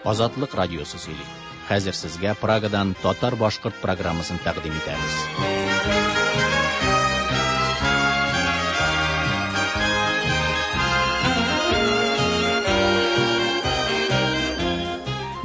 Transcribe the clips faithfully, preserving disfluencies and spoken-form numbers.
Азатлык радиосы сөйли. Хәзер сезгә Прагадан татар-башкорт программасын тәкъдим итәбез.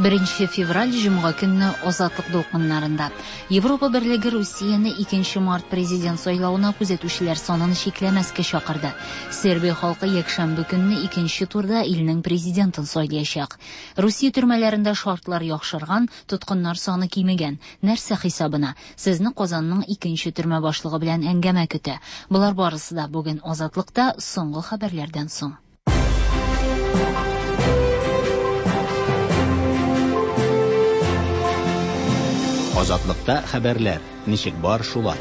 Беренче февраль җомга көнне Азатлык дулкыннарында. Европа Берлеге Русияне икенче март президент сайлавына күзәтүчеләр санын чикләмәскә чакырды. Сербия халкы якшәмбе көнне икенче турда илнең президентын сайлаячак. Русия төрмәләрендә шартлар яхшырган, тоткыннар саны кимегән. Нәрсә хисабына? Сезне Казанның икенче төрмә башлыгы белән әңгәмә көтә. Болар барысы да бүген Азатлыкта соңгы хәбәрләрдән соң. Азатлыкта хәбәрләр ничек бар шулай.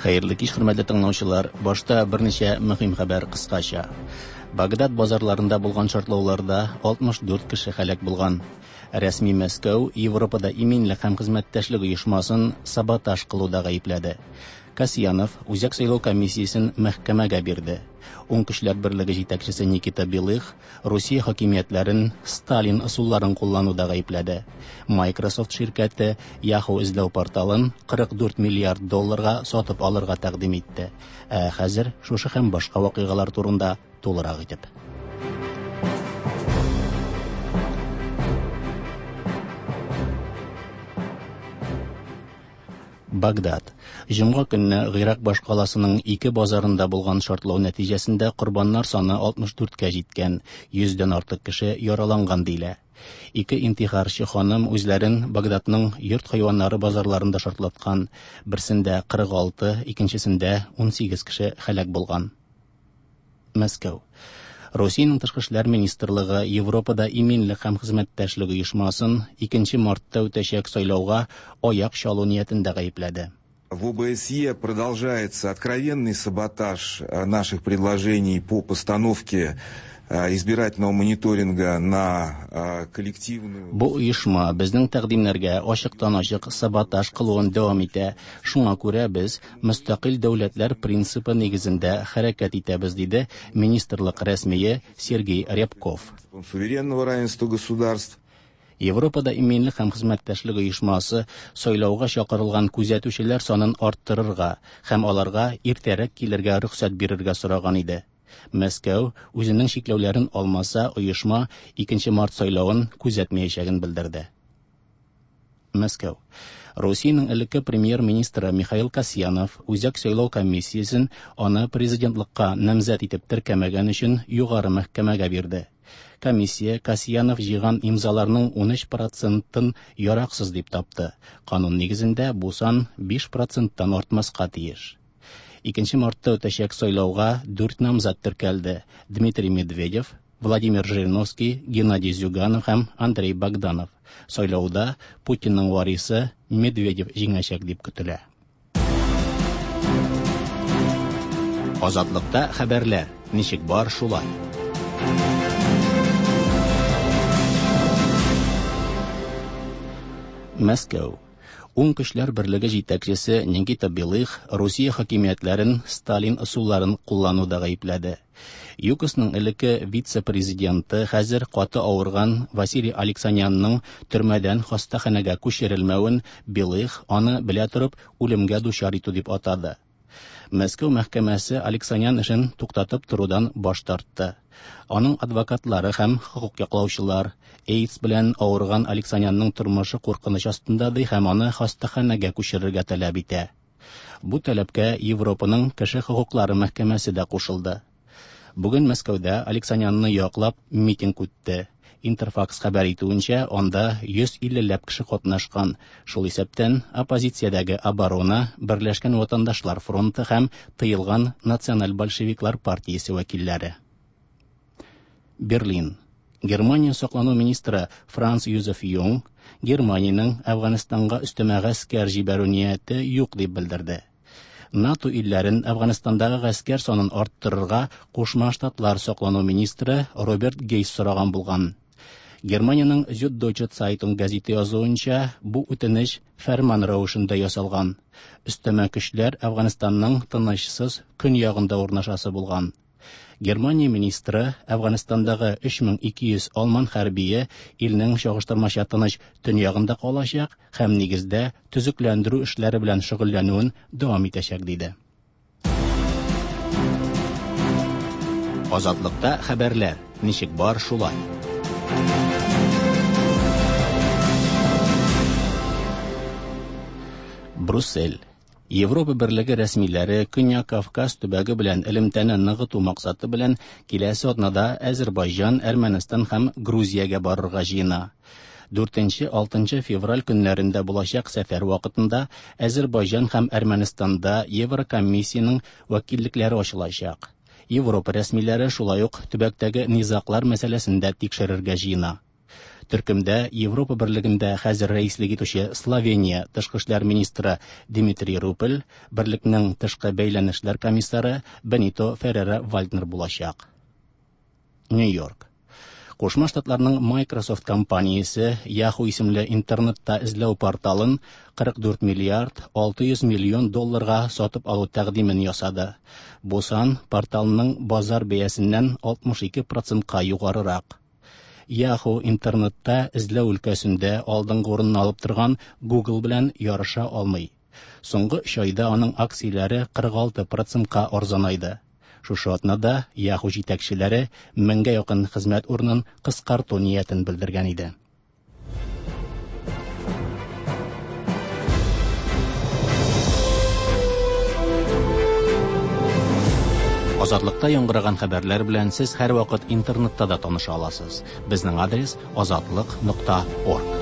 Хәерле кич, хөрмәтле тыңлаучылар. Башта берничә мөһим хәбәр кыскача. Багдад базарларында булган шартлауларда алтмыш дүрт кеше һәлак булган. Рәсми Мәскәү Европада иминлек һәм хезмәттәшлек оешмасын саботаж кылуда гаепләде. Касьянов Үзәк сайлау комиссиясен мәхкәмәгә бирде. Уң көчләр берлеге җитәкчесе Никита Белых Русия хакимиятләрен Сталин ысулларын куллануда гаепләде. Microsoft ширкәте Yahoo эзләү порталын кырык дүрт миллиард долларга сатып алырга тәкъдим итте. Ә хәзер шушы һәм башка вакыйгалар турында тулырак итеп. Багдад. Җомга көнне Гыйрак башкаласының ике базарында булган шартлау нәтиҗәсендә корбаннар саны алтмыш дүрткә җиткән, йөздән артык кеше яраланган диелә. Ике интихарчы ханым үзләрен Багдадның йорт хайваннары базарларында шартлаткан, берсендә кырык алты, икенчесендә ун сигез кеше һәлак булган. Мәскәү. Русиянең тышкы эшләр министрлыгы Европада иминлек һәм хезмәттәшлек оешмасын икенче мартта үтәчәк сайлауга аяк чалу ниятендә гаепләде. В ОБСЕ продолжается откровенный саботаж наших предложений по постановке избирательного мониторинга на коллективную... Бу оешма безнең тәкъдимнәргә ачыктан-ачык саботаж кылуын дәвам итә. Шуңа күрә без мөстәкыйль дәүләтләр принципы нигезендә хәрәкәт итәбез, диде министрлык рәсмие Сергей Рябков. Суверенного равенства государств. Европада иминлек һәм хезмәттәшлек оешмасы сайлауга чакырылган күзәтүчеләр санын арттырырга һәм аларга иртәрәк килергә рөхсәт бирергә сораган иде. Мәскәү үзенең чикләүләрен алмаса, оешма икенче март сайлавын күзәтмәячәген белдерде. Мәскәү. Русиянең элекке премьер-министры Михаил Касьянов Үзәк сайлау комиссиясен аны президентлыкка намзәт итеп теркәмәгән өчен югары мәхкәмәгә бирде. Комиссия Касьянов җыйган имзаларның ун өч процентын яраксыз дип тапты. Канун нигезендә бу сан биш проценттан артмаска тиеш. Икенче мартта үтәчәк сайлауга дүрт намзат теркәлде. Дмитрий Медведев, Владимир Жириновский, Геннадий Зюганов һәм Андрей Богданов. Сайлауда Путинның варисы Медведев җиңәчәк дип көтелә. Азатлыкта хәбәрләр ничек бар шулай. Мәскәү. Уң көчләр берлеге җитәкчесе Никита Белых Русия хакимиятләрен Сталин ысулларын куллануда гаепләде. ЮКОСның элекке вице-президенты хәзер каты авырган Василий Алексанянның төрмәдән хастаханәгә күчерелмәвен Белых аны белә торып үлемгә дучар итү дип атады. Мәскәү мәхкәмәсе Алексанян эшен туктатып торудан баш тартты. Аның адвокатлары һәм хокук яклаучылар AIDS белән авырган Алексанянның тормышы куркыныч астында ди һәм аны хастаханәгә күчерергә таләп итә. Бу таләпкә Европаның кеше хокуклары мәхкәмәсе дә кушылды. Бүген Мәскәүдә Алексанянны яклап митинг үтте. Интерфакс хәбәр итүенчә, анда йөз иллеләп кеше катнашкан. Шул исәптән оппозициядәге Оборона, Берләшкән ватандашлар фронты һәм тыелган Националь большевиклар партиясе вәкилләре. Берлин. Германия саклану министры Франц Юзеф Юнг Германиянең Әфганстанга өстәмә гаскәр җибәрү нияте юк дип белдерде. НАТО илләрен Әфганстандагы гаскәр санын арттырырга Кушма Штатлар саклану министры Роберт Гейс сораган булган. Германиянең Süddeutsche Zeitung гәзите язуынча, бу үтенеч фәрман рәвешендә ясалган. Өстәмә көчләр Әфганстанның тынычсыз көньягында урнашасы булган. Германия министры Әфганстандагы өч мең ике йөз алман хәрбие илнең чагыштырмача тыныч төньягында калачак һәм нигездә төзекләндерү эшләре белән шөгыльләнүен дәвам итәчәк, диде. Азатлыкта хәбәрләр ничек бар шулай. Брюссель. Европа Берлеге рәсмиләре Көньяк Кавказ төбәге белән элемтәне ныгыту максаты белән киләсе атнада Әзербайҗан, Әрмәнстан һәм Грузиягә барырга җыена. Дүртенче, алтынчы февраль көннәрендә булачак сәфәр вакытында Әзербайҗан һәм Әрмәнстанда Еврокомиссиянең вәкиллекләре ачылачак. Европа рәсмиләре шулай ук төбәктәге низаглар мәсьәләсен дә тикшерергә җыена. Төркемдә Европа Берлегендә хәзер рәислек итүче Словения тышкы эшләр министры Дмитрий Рупель, Берлекнең тышкы бәйләнешләр комиссары Бенито Феррера Вальднер булачак. Нью-Йорк. Кушма Штатларның Microsoft компаниясе Yahoo исемле интернетта эзләү порталын кырык дүрт миллиард алты йөз миллион долларга сатып алу тәкъдимен ясады. Бу сан порталның базар бәясеннән алтмыш ике процентка югарырак. Yahoo интернетта эзләү өлкәсендә алдынгы урынны алып торган Google белән ярыша алмый. Соңгы өч айда аның акцияләре кырык алты процентка арзанайды. Шушы атнада Yahoo җитәкчеләре меңгә якын хезмәт урынын кыскарту ниятен белдергән иде. Азатлыкта яңгыраган хәбәрләр белән сез һәрвакыт интернетта да таныша аласыз. Безнең адрес азатлык нокта орг.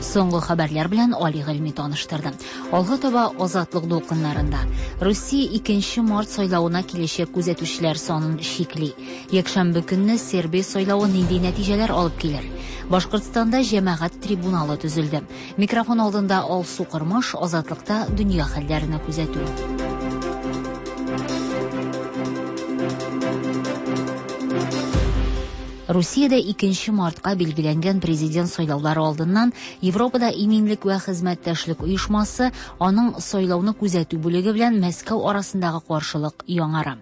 Соңгы хәбәрләр белән Али Гыйльми таныштырды. Алга таба Азатлык дулкыннарында. Русия икенче март сайлавына киләчәк күзәтүчеләр санын чикли. Якшәмбе көнне Сербия сайлавы нинди нәтиҗәләр алып килер? Башкортстанда җәмәгать трибуналы төзелде. Микрофон алдында Алсу Кырмыш, Азатлыкта дөнья хәлләренә күзәтү. Русиядә икенче мартка билгеләнгән президент сайлаулары алдыннан Европада иминлек вә хезмәттәшлек оешмасы аның сайлауны күзәтү бүлеге белән Мәскәү арасындагы каршылык яңара.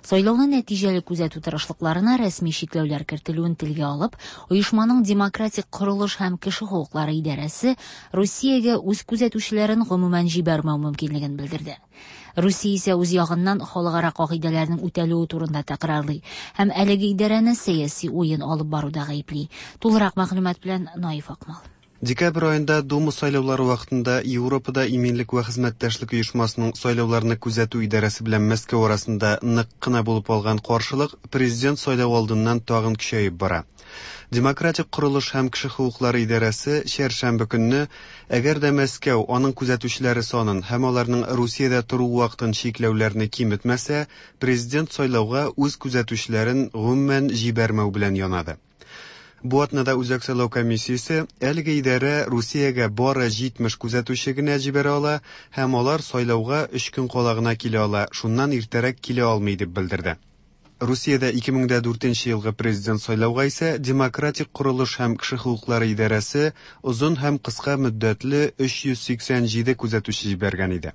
Сайлауны нәтиҗәле күзәтү тырышлыкларына рәсми чикләүләр кертелүен телгә алып, оешманың демократик корылыш һәм кеше хокуклары идарәсе Русиягә үз күзәтүчеләрен гомумән җибәрмәү мөмкинлеген белдерде. Русия исә үз ягыннан халыкара кагыйдәләрнең үтәлүе турында тәкрарлый һәм әлеге идарәне сәяси уен алып баруда гаепли. Тулырак мәгълүмат белән Наиф Акмал. Декабрь айында Дума сайлаулары вакытында Европада иминлек вә хезмәттәшлек оешмасының сайлауларны күзәтү идарәсе белән Мәскәү арасында нык кына булып алган каршылык президент сайлау алдыннан тагын көчәеп бара. Демократик корылыш һәм кеше хокуклары идарәсе чәршәмбе көнне, әгәр дә Мәскәү аның күзәтүчеләре санын һәм аларның Русиядә тору вакытын чикләүләрне киметмәсә, президент сайлауга үз күзәтүчеләрен гомумән җибәрмәү белән янады. Бу атнада Үзәк сайлау комиссиясе әлеге идарә Русиягә бары җитмеш күзәтүче генә җибәрә ала һәм алар сайлауга өч көн кала гына килә ала, шуннан иртәрәк килә алмый дип белдерде. Русиядә ике мең дә дүртенче елгы президент сайлауга исә Демократик корылыш һәм кеше хокуклары идарәсе озын һәм кыска мөддәтле өч йөз сиксән җиде күзәтүче җибәргән иде.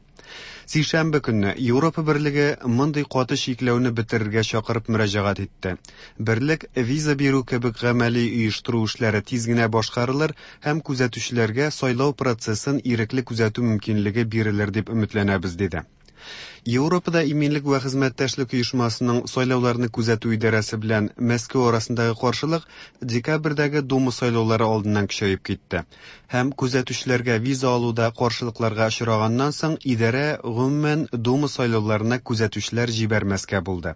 Сишәмбе көнне Европа Берлеге мондый каты чикләүне бетерергә чакырып мөрәҗәгать итте. Берлек виза бирү кебек гамәли оештыру эшләре тиз генә башкарылыр һәм күзәтүчеләргә сайлау процессын ирекле күзәтү мөмкинлеге бирелер дип өметләнәбез, диде. Европада иминлек вә хезмәттәшлек оешмасының сайлауларны күзәтү идарәсе белән Мәскәү арасындагы каршылык декабрьдәге Дума сайлаулары алдыннан көчәеп китте. Һәм күзәтүчеләргә виза алуда каршылыкларга очраганнан соң идарә гомумән Дума сайлауларына күзәтүчеләр җибәрмәскә булды.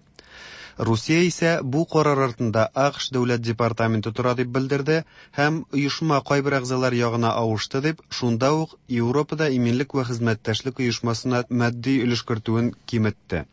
Русия исә бу карар артында АКШ дәүләт департаменты тора дип белдерде һәм оешма кайбер әгъзалар ягына авышты дип, шунда ук Европада иминлек вә хезмәттәшлек оешмасына матди өлеш кертүен киметте.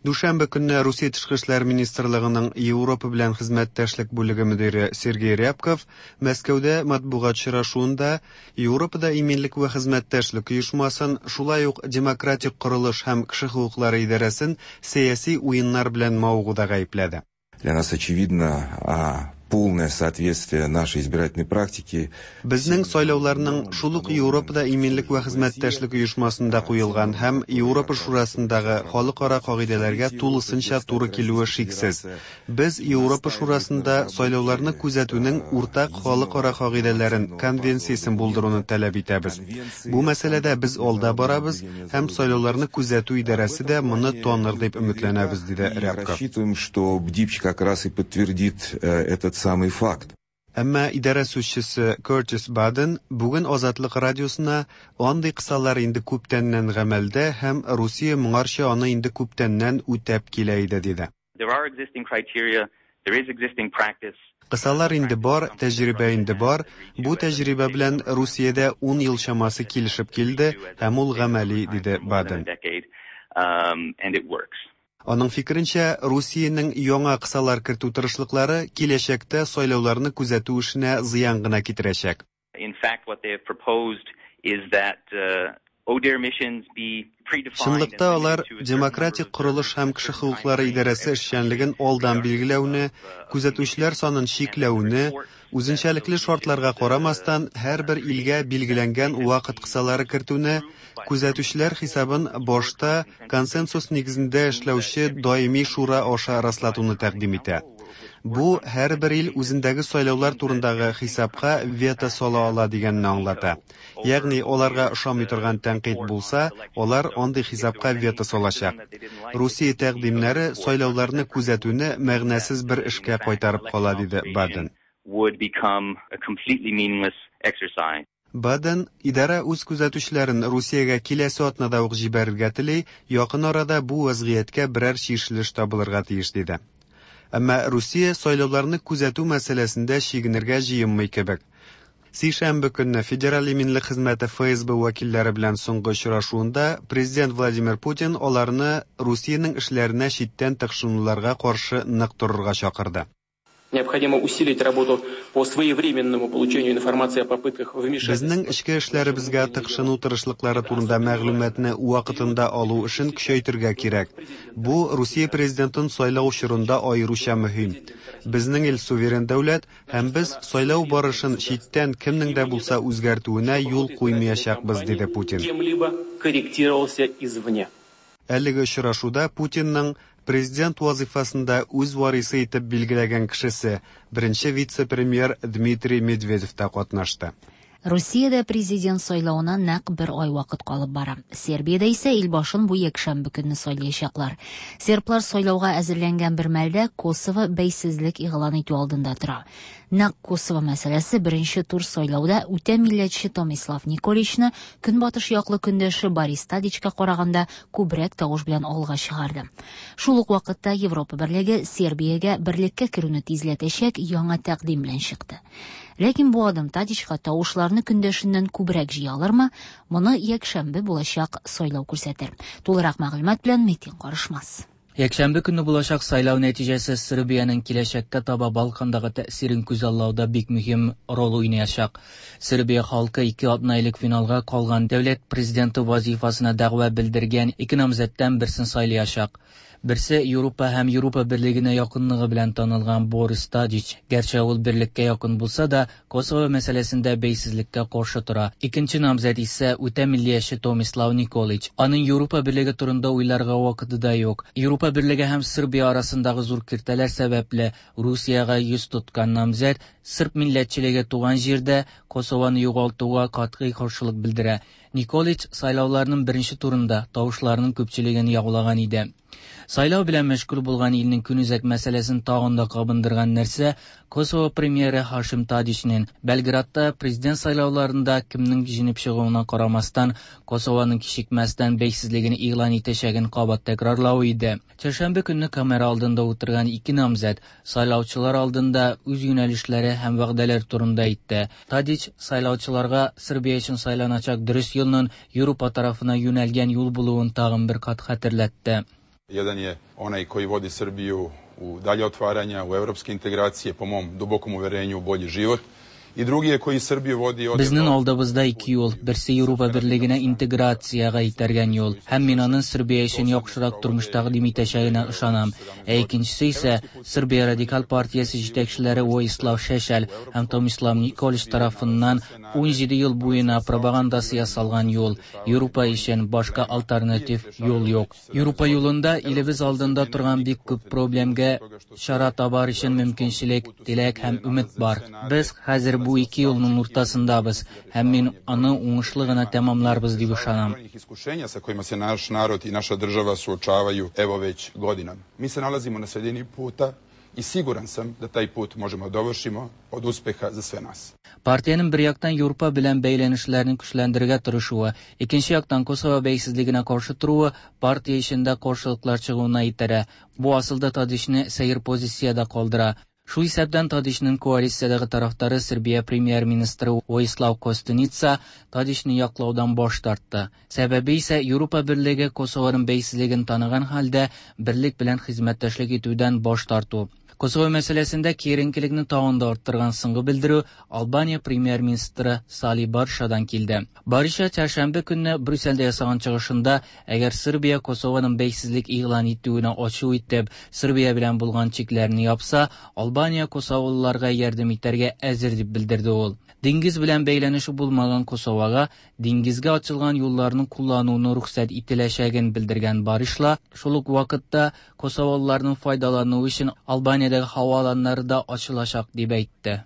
Дүшәмбе көнне Русия тышкы эшләр министрлыгының Европа белән хезмәттәшлек бүлеге мөдире Сергей Рябков Мәскәүдә матбугат очрашуында Европада иминлек вә хезмәттәшлек оешмасын, шулай ук демократик корылыш һәм кеше хокуклары идарәсен сәяси уеннар белән мавыгуда гаепләде. Для нас очевидно полное соответствие нашей избирательной практике. Безнең сайлауларның шул ук Европада иминлек вә хезмәттәшлек оешмасында куелган һәм Европа Шурасындагы халыкара кагыйдәләргә тулысынча туры килүе шиксез. Без Европа Шурасында сайлауларны күзәтүнең уртак халыкара кагыйдәләрен, конвенциясен булдыруны таләп итәбез. Бу мәсьәләдә без алда барабыз һәм сайлауларны күзәтү идарәсе дә моны таныр дип өметләнәбез, диде Рябков. Рассчитываем, что БДИПЧ как раз и подтвердит этот самый факт. Әмма идарә сүзчесе Кертис Баден бүген Азатлык радиосына андый кысалар инде күптәннән гамәлдә һәм Русия моңарчы аны инде күптәннән үтәп килә иде, диде. There are existing criteria, there is existing practice. Кысалар инде бар, тәҗрибә инде бар. Бу тәҗрибә белән Русиядә ун ел чамасы килешеп килде һәм ул гамәли, диде Баден. Аның фикеренчә, Русиянең яңа кысалар кертү тырышлыклары киләчәктә сайлауларны күзәтү эшенә зыян гына китерәчәк. In fact, what they have proposed is that O D I H R missions be predefined. Чынлыкта алар демократик корылыш һәм кеше хокуклары идарәсе эшчәнлеген алдан билгеләүне, күзәтүчеләр санын чикләүне, үзенчәлекле шартларга карамастан һәрбер илгә билгеләнгән вакыт кысалары кертүне, күзәтүчеләр хисабын башта консенсус нигезендә эшләүче даими шура аша раслатуны тәкъдим итә. Бу һәрбер ил үзендәге сайлаулар турындагы хисапка вето сала ала дигәнне аңлата. Ягъни аларга ошамый торган тәнкыйть булса, алар андый хисапка вето салачак. Русия тәкъдимнәре сайлауларны күзәтүне мәгънәсез бер эшкә кайтарып кала, диде Баден. Would become a completely meaningless exercise. Баден идарә үз күзәтүчеләрен Русиягә киләсе атнада ук җибәрергә тели, якын арада бу вазгыятькә берәр чишелеш табылырга тиеш, диде. Әмма Русия сайлауларны күзәтү мәсьәләсендә чигенергә җыенмый кебек. Сишәмбе көнне Федераль иминлек хезмәте Ф С Б вәкилләре белән соңгы очрашуында президент Владимир Путин аларны Русиянең эшләренә читтән тыкшынуларга каршы нык торырга чакырды. Необходимо усилить работу по своевременному получению информации о попытках вмешательства. Безнең эчке эшләребезгә тыкшыну тырышлыклары турында мәгълүматны вакытында алу өчен көчәйтергә кирәк. Бу Русия президентын сайлау чорында аеруча мөһим. Безнең ил суверен дәүләт һәм без сайлау барышын читтән кемнең дә булса үзгәртүенә юл куймаячакбыз, диде Путин. Кем-либо корректировался извне. Әлеге очрашуда Путинның президент вазифасында үз варисы итеп билгеләгән кешесе, беренче вице-премьер Дмитрий Медведев та катнашты. Русиядә президент сайлавына нәкъ бер ай вакыт калып бара. Сербиядә исә ил башын бу якшәмбе көнне сайлаячаклар. Серблар сайлауга әзерләнгән бер мәлдә Косово бәйсезлек игълан итү алдында тора. Нәкъ Косово мәсьәләсе беренче тур сайлауда үтә милләтче Томислав Николичны көнбатыш яклы көндәше Борис Тадичка караганда күбрәк тавыш белән алга чыгарды. Шул ук вакытта Европа берлеге Сербиягә берлеккә керүне тизләтәчәк яңа тәкъдим белән чыкты. Ләкин бу адым Тадичка тавышларны көндәшеннән күбрәк җыя алырмы? Моны якшәмбе булачак сайлау күрсәтер. Тулырак мәгълүмат белән Метин Карышмас. Якшәмбе көнне булачак сайлау нәтиҗәсе Сербиянең киләчәккә таба Балкандагы тәэсирен күзаллауда бик мөһим роль уйнаячак. Сербия халкы ике атна элек финалга калган дәүләт президенты вазифасына дәгъва белдергән ике намзәттән берсен сайлаячак. Берсе Европа һәм Европа берлегенә якынлыгы белән танылган Борис Тадич. Гәрчә ул берлеккә якын булса да, Косово мәсьәләсендә бәйсезлеккә каршы тора. Икенче намзәт исә үтә миллияче Томислав Николич. Аның Европа берлеге турында уйларга вакыты да юк. Европа берлеге һәм Сербия арасындагы зур киртәләр сәбәпле Русиягә йөз тоткан намзәт серб милләтчелеге туган җирдә Косовоны югалтуга катгый каршылык белдерә. Николич сайлауларның беренче турында тавышларның күпчелеген яулаган иде. Сайлау белән мәшгуль булган илнең көнүзәк мәсьәләсен тагын да кабындырган нәрсә Косово премьеры Хашим Тадичнең Белградта президент сайлауларында кемнең җиңеп чыгуына карамастан Косованың кичекмәстән бәйсезлеген игълан итәчәген кабат тәкрарлавы иде. Чәршәмбе көнне камера алдында утырган ике намзәт сайлаучылар алдында үз юнәлешләре һәм вәгъдәләр турында әйтте. Тадич сайлаучыларга Сербия өчен сайланачак дөрес юлның Европа тарафына юнәлгән юл булуын тагын бер кат хәтерләтте. Jedan je onaj koji vodi Srbiju u dalje otvaranja, u evropske integracije, po mom dubokom uverenju u bolji život. И drugi je koji Srbiju vodi od Безнең алдыбызда ике юл, берсе Европа берлегенә интеграциягә итәргән юл, һәм мин аның Сербия өчен яхшырак тормыш тәкъдим итәчәгенә ышанам. Ә икенчесе исә Сербия радикаль партиясе җитәкчеләре Воислав Шешель һәм Томислав Николич тарафыннан ун җиде ел буена пропагандасы ясалган юл. Европа өчен башка альтернатив юл юк. Европа юлында илебез алдында торган бик күп проблемга чара табар өчен мөмкинчелек, теләк һәм өмет бар. Без хәзер бу ике юлның уртасындабыз һәм мин аны уңышлы гына тәмамларбыз дип ышанам. Iskušenja sa kojima se naš narod i naša država suočavaju evo već godinama. Mi se nalazimo na sredini puta i siguran sam da taj put možemo dovršimo od uspeha za sve nas. Партиянең бер яктан Европа белән бәйләнешләрне көчләндерергә тырышуы, икенче яктан Косово бәйсезлегенә каршы торуы партия эчендә каршылыклар чыгуына итерә. Бу асылда Тадичны сәер позициядә калдыра. Шул исәптән Тадичның коалициядәге тарафдары Сербия премьер-министры Воислав Костуница Тадичны яклаудан баш тартты. Сәбәбе исә Европа берлеге Косованың бәйсезлеген таныган хәлдә берлек белән хезмәттәшлек итүдән баш тарту. Косово мәсьәләсендә киеренкелекне тагын да арттырган соңгы белдерү Албания премьер-министры Сали Баришадан килде. Бариша чәршәмбе көнне Брюссельдә ясаган чыгышында, әгәр Сербия Косованың бәйсезлек игълан итүенә ачу итеп, Сербия белән булган чикләрне япса, Албания косоволыларга ярдәм итәргә әзер дип белдерде ул. Диңгез белән бәйләнеше булмаган Косовага диңгезгә ачылган юлларны куллануны рөхсәт ителәчәген белдергән Баришла, шул ук вакытта косоволыларның файдалануы өчен Албаниядәге һава аланнары да ачылачак дип әйтте.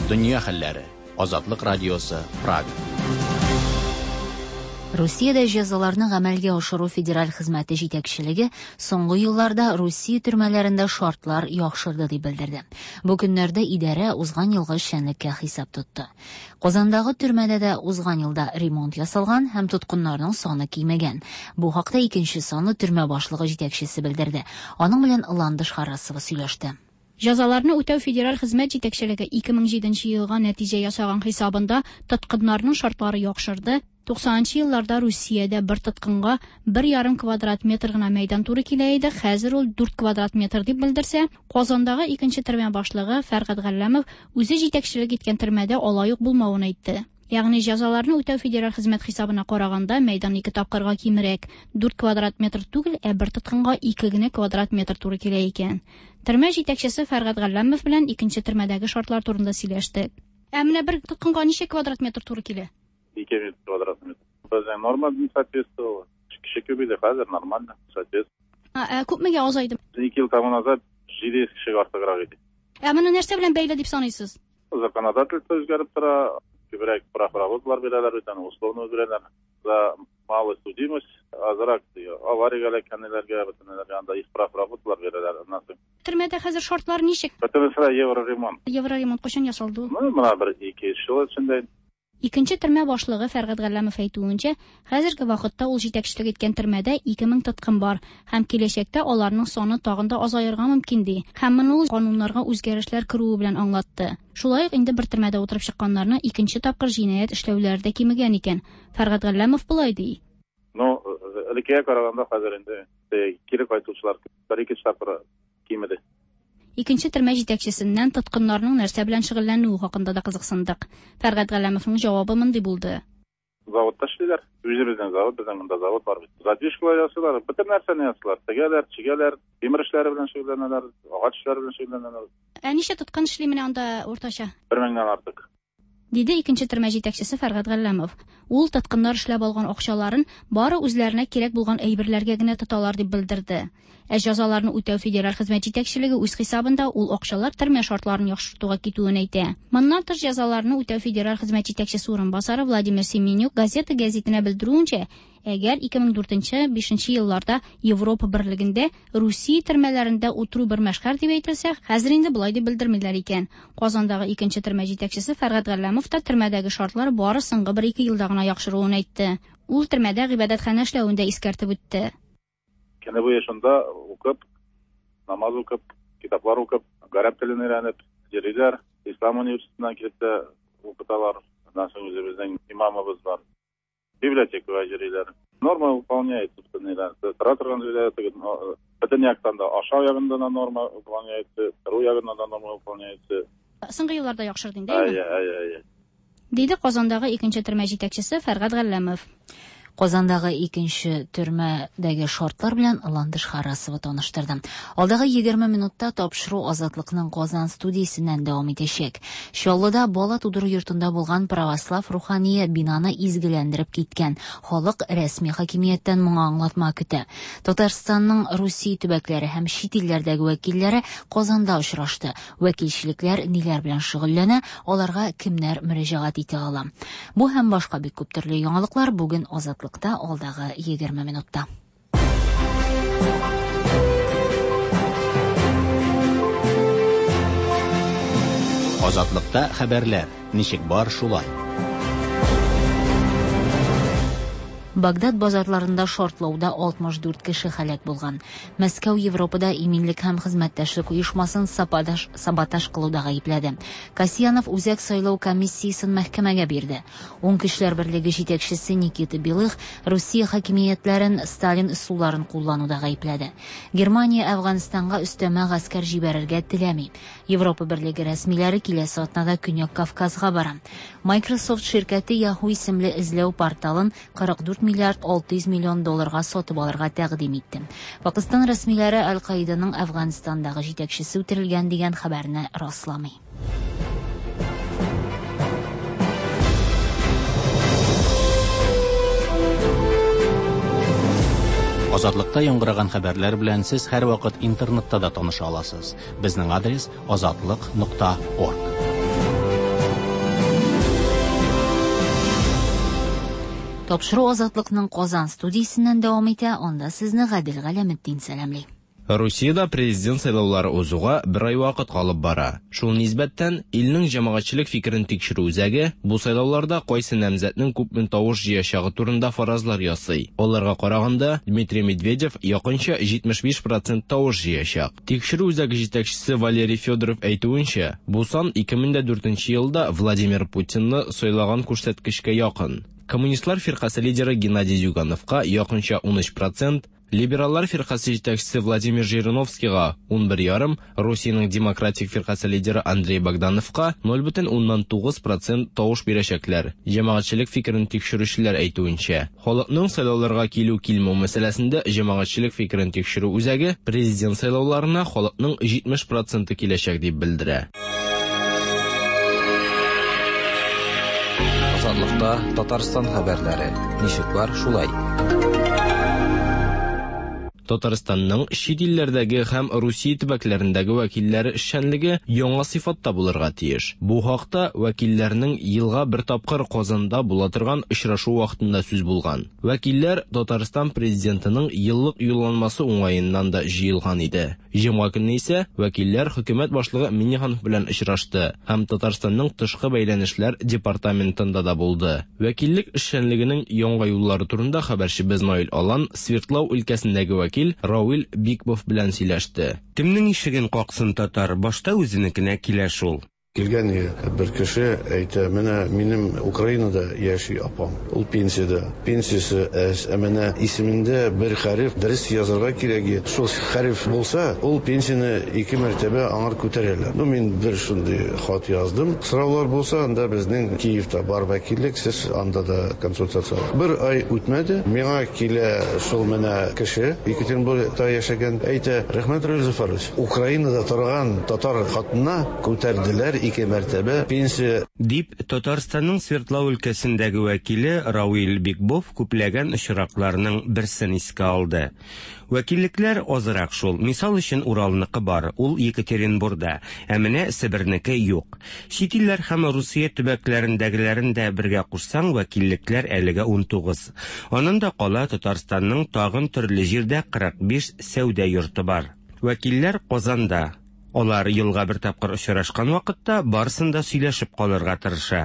Дөнья хәлләре. Азатлык радиосы, Прага. Русиядә җәзаларны гамәлгә ашыру федераль хезмәте җитәкчелеге соңгы елларда Русия төрмәләрендә шартлар яхшырды дип белдерде. Бу көннәрдә идарә узган елгы эшчәнлеккә хисап тотты. Казандагы төрмәдә дә узган елда ремонт ясалган һәм тоткыннарның саны кимегән. Бу хакта икенче санлы төрмә башлыгы җитәкчесе белдерде. Аның белән Ландыш Харасова сөйләште. Җәзаларны үтәү федераль хезмәт җитәкчелеге ике мең җиденче елга нәтиҗә ясаган хисабында тоткыннарның шартлары яхшырды. Туксанынчы елларда Русиядә бер тоткынга бер ярым квадрат метр гына мәйдан туры килә иде, хәзер ул дүрт квадрат метр дип белдерсә, Казандагы икенче төрмә башлыгы Фәргать Галләмов үзе җитәкчелек иткән төрмәдә алай ук булмавын әйтте. Ягъни җәзаларны үтәү федераль хезмәт хисабына караганда мәйдан ике тапкырга кимрәк, дүрт квадрат метр түгел, ә бер тоткынга ике генә квадрат метр туры килә икән. Төрмә җитәкчесе Фәргать Галләмов белән икенче төрмәдәге шартлар турында сөйләштек. Ә менә бер тоткынга ничә квадрат метр туры килә? Ике квадрат метр. Безнең норма не соответствовала. Кеше күп иде, хәзер нормально, соответствует. Ә күпмегә азайды? Ике ел тому назад җиде йөз кешегә артыграк иде. Ә моны нәрсә белән бәйле дип саныйсыз? Законодательство үзгәреп тора, күбрәк прав работалар бирәләр, бүтән условно бирәләр. За малая судимость, азрак авариягә эләккәннәргә, бүтәннәргә анда их прав работалар бирәләр. Аннан соң Төрмәдә хәзер шартлар ничек? Бөтенесе евроремонт. Евроремонт кайчан ясалды? Ну, менә бер ике ел эчендә. Икенче төрмә башлыгы Фәргать Галләмов әйтүенчә, хәзерге вакытта ул җитәкчелек иткән төрмәдә ике мең тоткын бар һәм киләчәктә аларның саны тагын да азаерга мөмкин ди. Һәм моны ул кануннарга үзгәрешләр керүе белән аңлатты. Шулай ук инде бер төрмәдә утырып чыкканнарны икенче тапкыр җинаять эшләүләре дә кимегән икән. Фәргать Галләмов болай ди. Ну, элеккегә караганда хәзер инде кире кайтучылар бер ике тапкыр кимеде. Икенче төрмә җитәкчесеннән тоткыннарның нәрсә белән шөгыльләнүе хакында да кызыксындык. Фәргать Галләмовның җавабы мондый булды. Заводта эшлиләр. Үзебезнең завод, безнең монда завод бар бит. Задвижкалар ясыйлар, бөтен нәрсәне ясыйлар. Тегәләр, чигәләр, тимер эшләре белән шөгыльләнәләр, агач эшләре белән шөгыльләнәләр. Ә ничә тоткын эшли менә анда уртача? Бер меңнән артык. Диде икенче төрмә җитәкчесе Фәргать Галләмов. Ул тоткыннар эшләп алган акчаларын бары үзләренә кирәк булган әйберләргә генә тоталар дип белдерде. Ә җәзаларны үтәү федераль хезмәт җитәкчелеге үз хисабында ул акчалар төрмә шартларын яхшыртуга китүен әйтә. Моннан тыш җәзаларны үтәү федераль хезмәт җитәкчесе урынбасары Владимир Семенюк газета гәзитенә белдерүенчә, әгәр ике мең дүртенче, бишенче елларда Европа берлегендә Русия төрмәләрендә утыру бер мәшһәр дип әйтелсә, хәзер инде болай дип белдермиләр икән. Казандагы икенче төрмә җитәкчесе Фәргать Галләмов та төрмәдәге шартлар бары соңгы бер ике елда гына яхшыруын әйтте. Ул төрмәдә гыйбадәтханә эшләвен дә искәртеп үтте. Көне буе шунда укып, намаз укып, китаплар укып, гарәп телен өйрәнеп йөриләр. Ислам университетыннан килеп тә укыталар. Аннан соң үзебезнең имамыбыз бар. Библиотекага йөриләр. Норма выполняется. бөтен ниләр. Тора торган җирдә теге бөтен яктан да ашау ягында да норма выполняется, тору ягында да норма выполняется. Соңгы елларда яхшырды инде. Әйе, әйе, әйе. Диде Казандагы икенче төрмә җитәкчесе Фәргать Галләмов. Казандагы икенче төрмәдәге шартлар белән Ландыш Харасова таныштырды. Алдагы егерме минутта тапшыру Азатлыкның Казан студиясеннән дәвам итәчәк. Чаллыда бала тудыру йортында булган православ рухание бинаны изгеләндереп киткән. Халык рәсми хакимияттән моңа аңлатма көтә. Татарстанның Русия төбәкләре һәм чит илләрдәге вәкилләре Казанда очрашты. Вәкилчелекләр ниләр белән шөгыльләнә, аларга кемнәр мөрәҗәгать итә ала. Бу һәм башка бик күп төрле яңалыклар бүген Азатлык алдагы егерме минутта. Азатлыкта хәбәрләр ничек бар шулай. Багдад базарларында шартлауда алтмыш дүрт кеше һәлак булган. Мәскәү Европада иминлек һәм хезмәттәшлек оешмасын саботаж, саботаж кылуда гаепләде. Касьянов Үзәк сайлау комиссиясен мәхкәмәгә бирде. Уң көчләр берлеге җитәкчесе Никита Белых Русия хакимиятләрен Сталин ысулларын куллануда гаепләде. Германия Әфганстанга өстәмә гаскәр җибәрергә теләми. Европа берлеге рәсмиләре киләсе атнада Көньяк Кавказга бара. Microsoft ширкәте Yahoo исемле эзләү порталын кырык дүрт миллиард алты йөз миллион долларга сатып алырга тәкъдим итте. Пакистан рәсмиләре Аль-Каиданың Әфганстандагы җитәкчесе үтерелгән дигән хәбәрне расламый. Азатлыкта яңгыраган хәбәрләр белән сез һәрвакыт интернетта да таныша аласыз. Безнең адрес азатлык нокта орг. Тапшыру Азатлыкның Казан студиясеннән дәвам итә, анда сезне Гадел Галәметдин сәламли. Русиядә президент сайлаулары узуга бер ай вакыт калып бара. Шул нисбәттән илнең җәмәгатьчелек фикерен тикшерү үзәге бу сайлауларда кайсы намзәтнең күпме тавыш җыячагы турында фаразлар ясый. Аларга караганда Дмитрий Медведев якынча җитмеш биш процент тавыш җыячак. Тикшерү үзәге җитәкчесе Валерий Федоров әйтүенчә, бу сан ике мең дә дүртенче елда Владимир Путинны сайлаган күрсәткечкә якын. Коммунистлар фиркасы лидеры Геннадий Зюгановка якынча ун өч процент, Либераллар фиркасы җитәкчесе Владимир Жириновскийга ун бер ярым, Русиянең демократик фиркасы лидеры Андрей Богдановка ноль бөтен уннан тугыз процент тавыш бирәчәкләр. Җәмәгатьчелек фикерен тикшерүчеләр әйтүенчә, халыкның сайлауларга килү-килмәү мәсьәләсендә җәмәгатьчелек фикерен тикшерү үзәге президент сайлауларына халыкның җитмеш проценты киләчәк дип белдерә. Азатлыкта Татарстан хәбәрләре ничек бар шулай. Татарстанның чит илләрдәге һәм Русия төбәкләрендәге вәкилләре эшчәнлеге яңа сыйфатта булырга тиеш. Бу хакта вәкилләрнең елга бер тапкыр Казанда була торган очрашу вакытында сүз булган. Вәкилләр Татарстан президентының еллык юлланмасы уңаеннан да җыелган иде. Җомга көнне исә вәкилләр хөкүмәт башлыгы Минниханов белән очрашты һәм Татарстанның тышкы бәйләнешләр департаментында да булды. Вәкиллек эшчәнлегенең яңа юллары турында хәбәрчебез Наил Алан Свердлау өлкәсендәге вәкил Рауил Бикбов белән сөйләште. Кемнең ишеген каксын татар, башта үзенекенә килә шул. Килгән бер кеше әйтә, менә минем Украинада яши апам, ул пенсияда. Пенсиясе әз, ә менә исемендә бер хәреф дөрес язарга кирәк. Шул хәреф булса, ул пенсияне ике мәртәбә аңар күтәрәләр. Ну, мин бер шундый хат яздым. Сораулар булса, анда безнең Киевта бар вәкиллек, сез анда да консультация. Бер ай үтмәде, миңа килә шул менә кеше, Екатеринбургта яшәгән, әйтә, рәхмәт, Равил Зөфәрович, Украинада торган татар хатынына күтәрделәр ике мәртәбә пенсия. Дип Татарстанның Свердлау өлкәсендәге вәкиле Рауил Бикбов күпләгән очракларның берсен искә алды. Вәкиллекләр азрак шул. Мисал өчен Уралныкы бар, ул Екатеринбургда, ә менә Себернеке юк. Чит илләр һәм Русия төбәкләрендәгеләрен дә бергә кушсаң, вәкиллекләр әлегә ун тугыз. Аннан да кала Татарстанның тагын төрле җирдә кырык биш сәүдә йорты бар. Вәкилләр Казанда. Алар елга бер тапкыр очрашкан вакытта барысын да сөйләшеп калырга тырыша.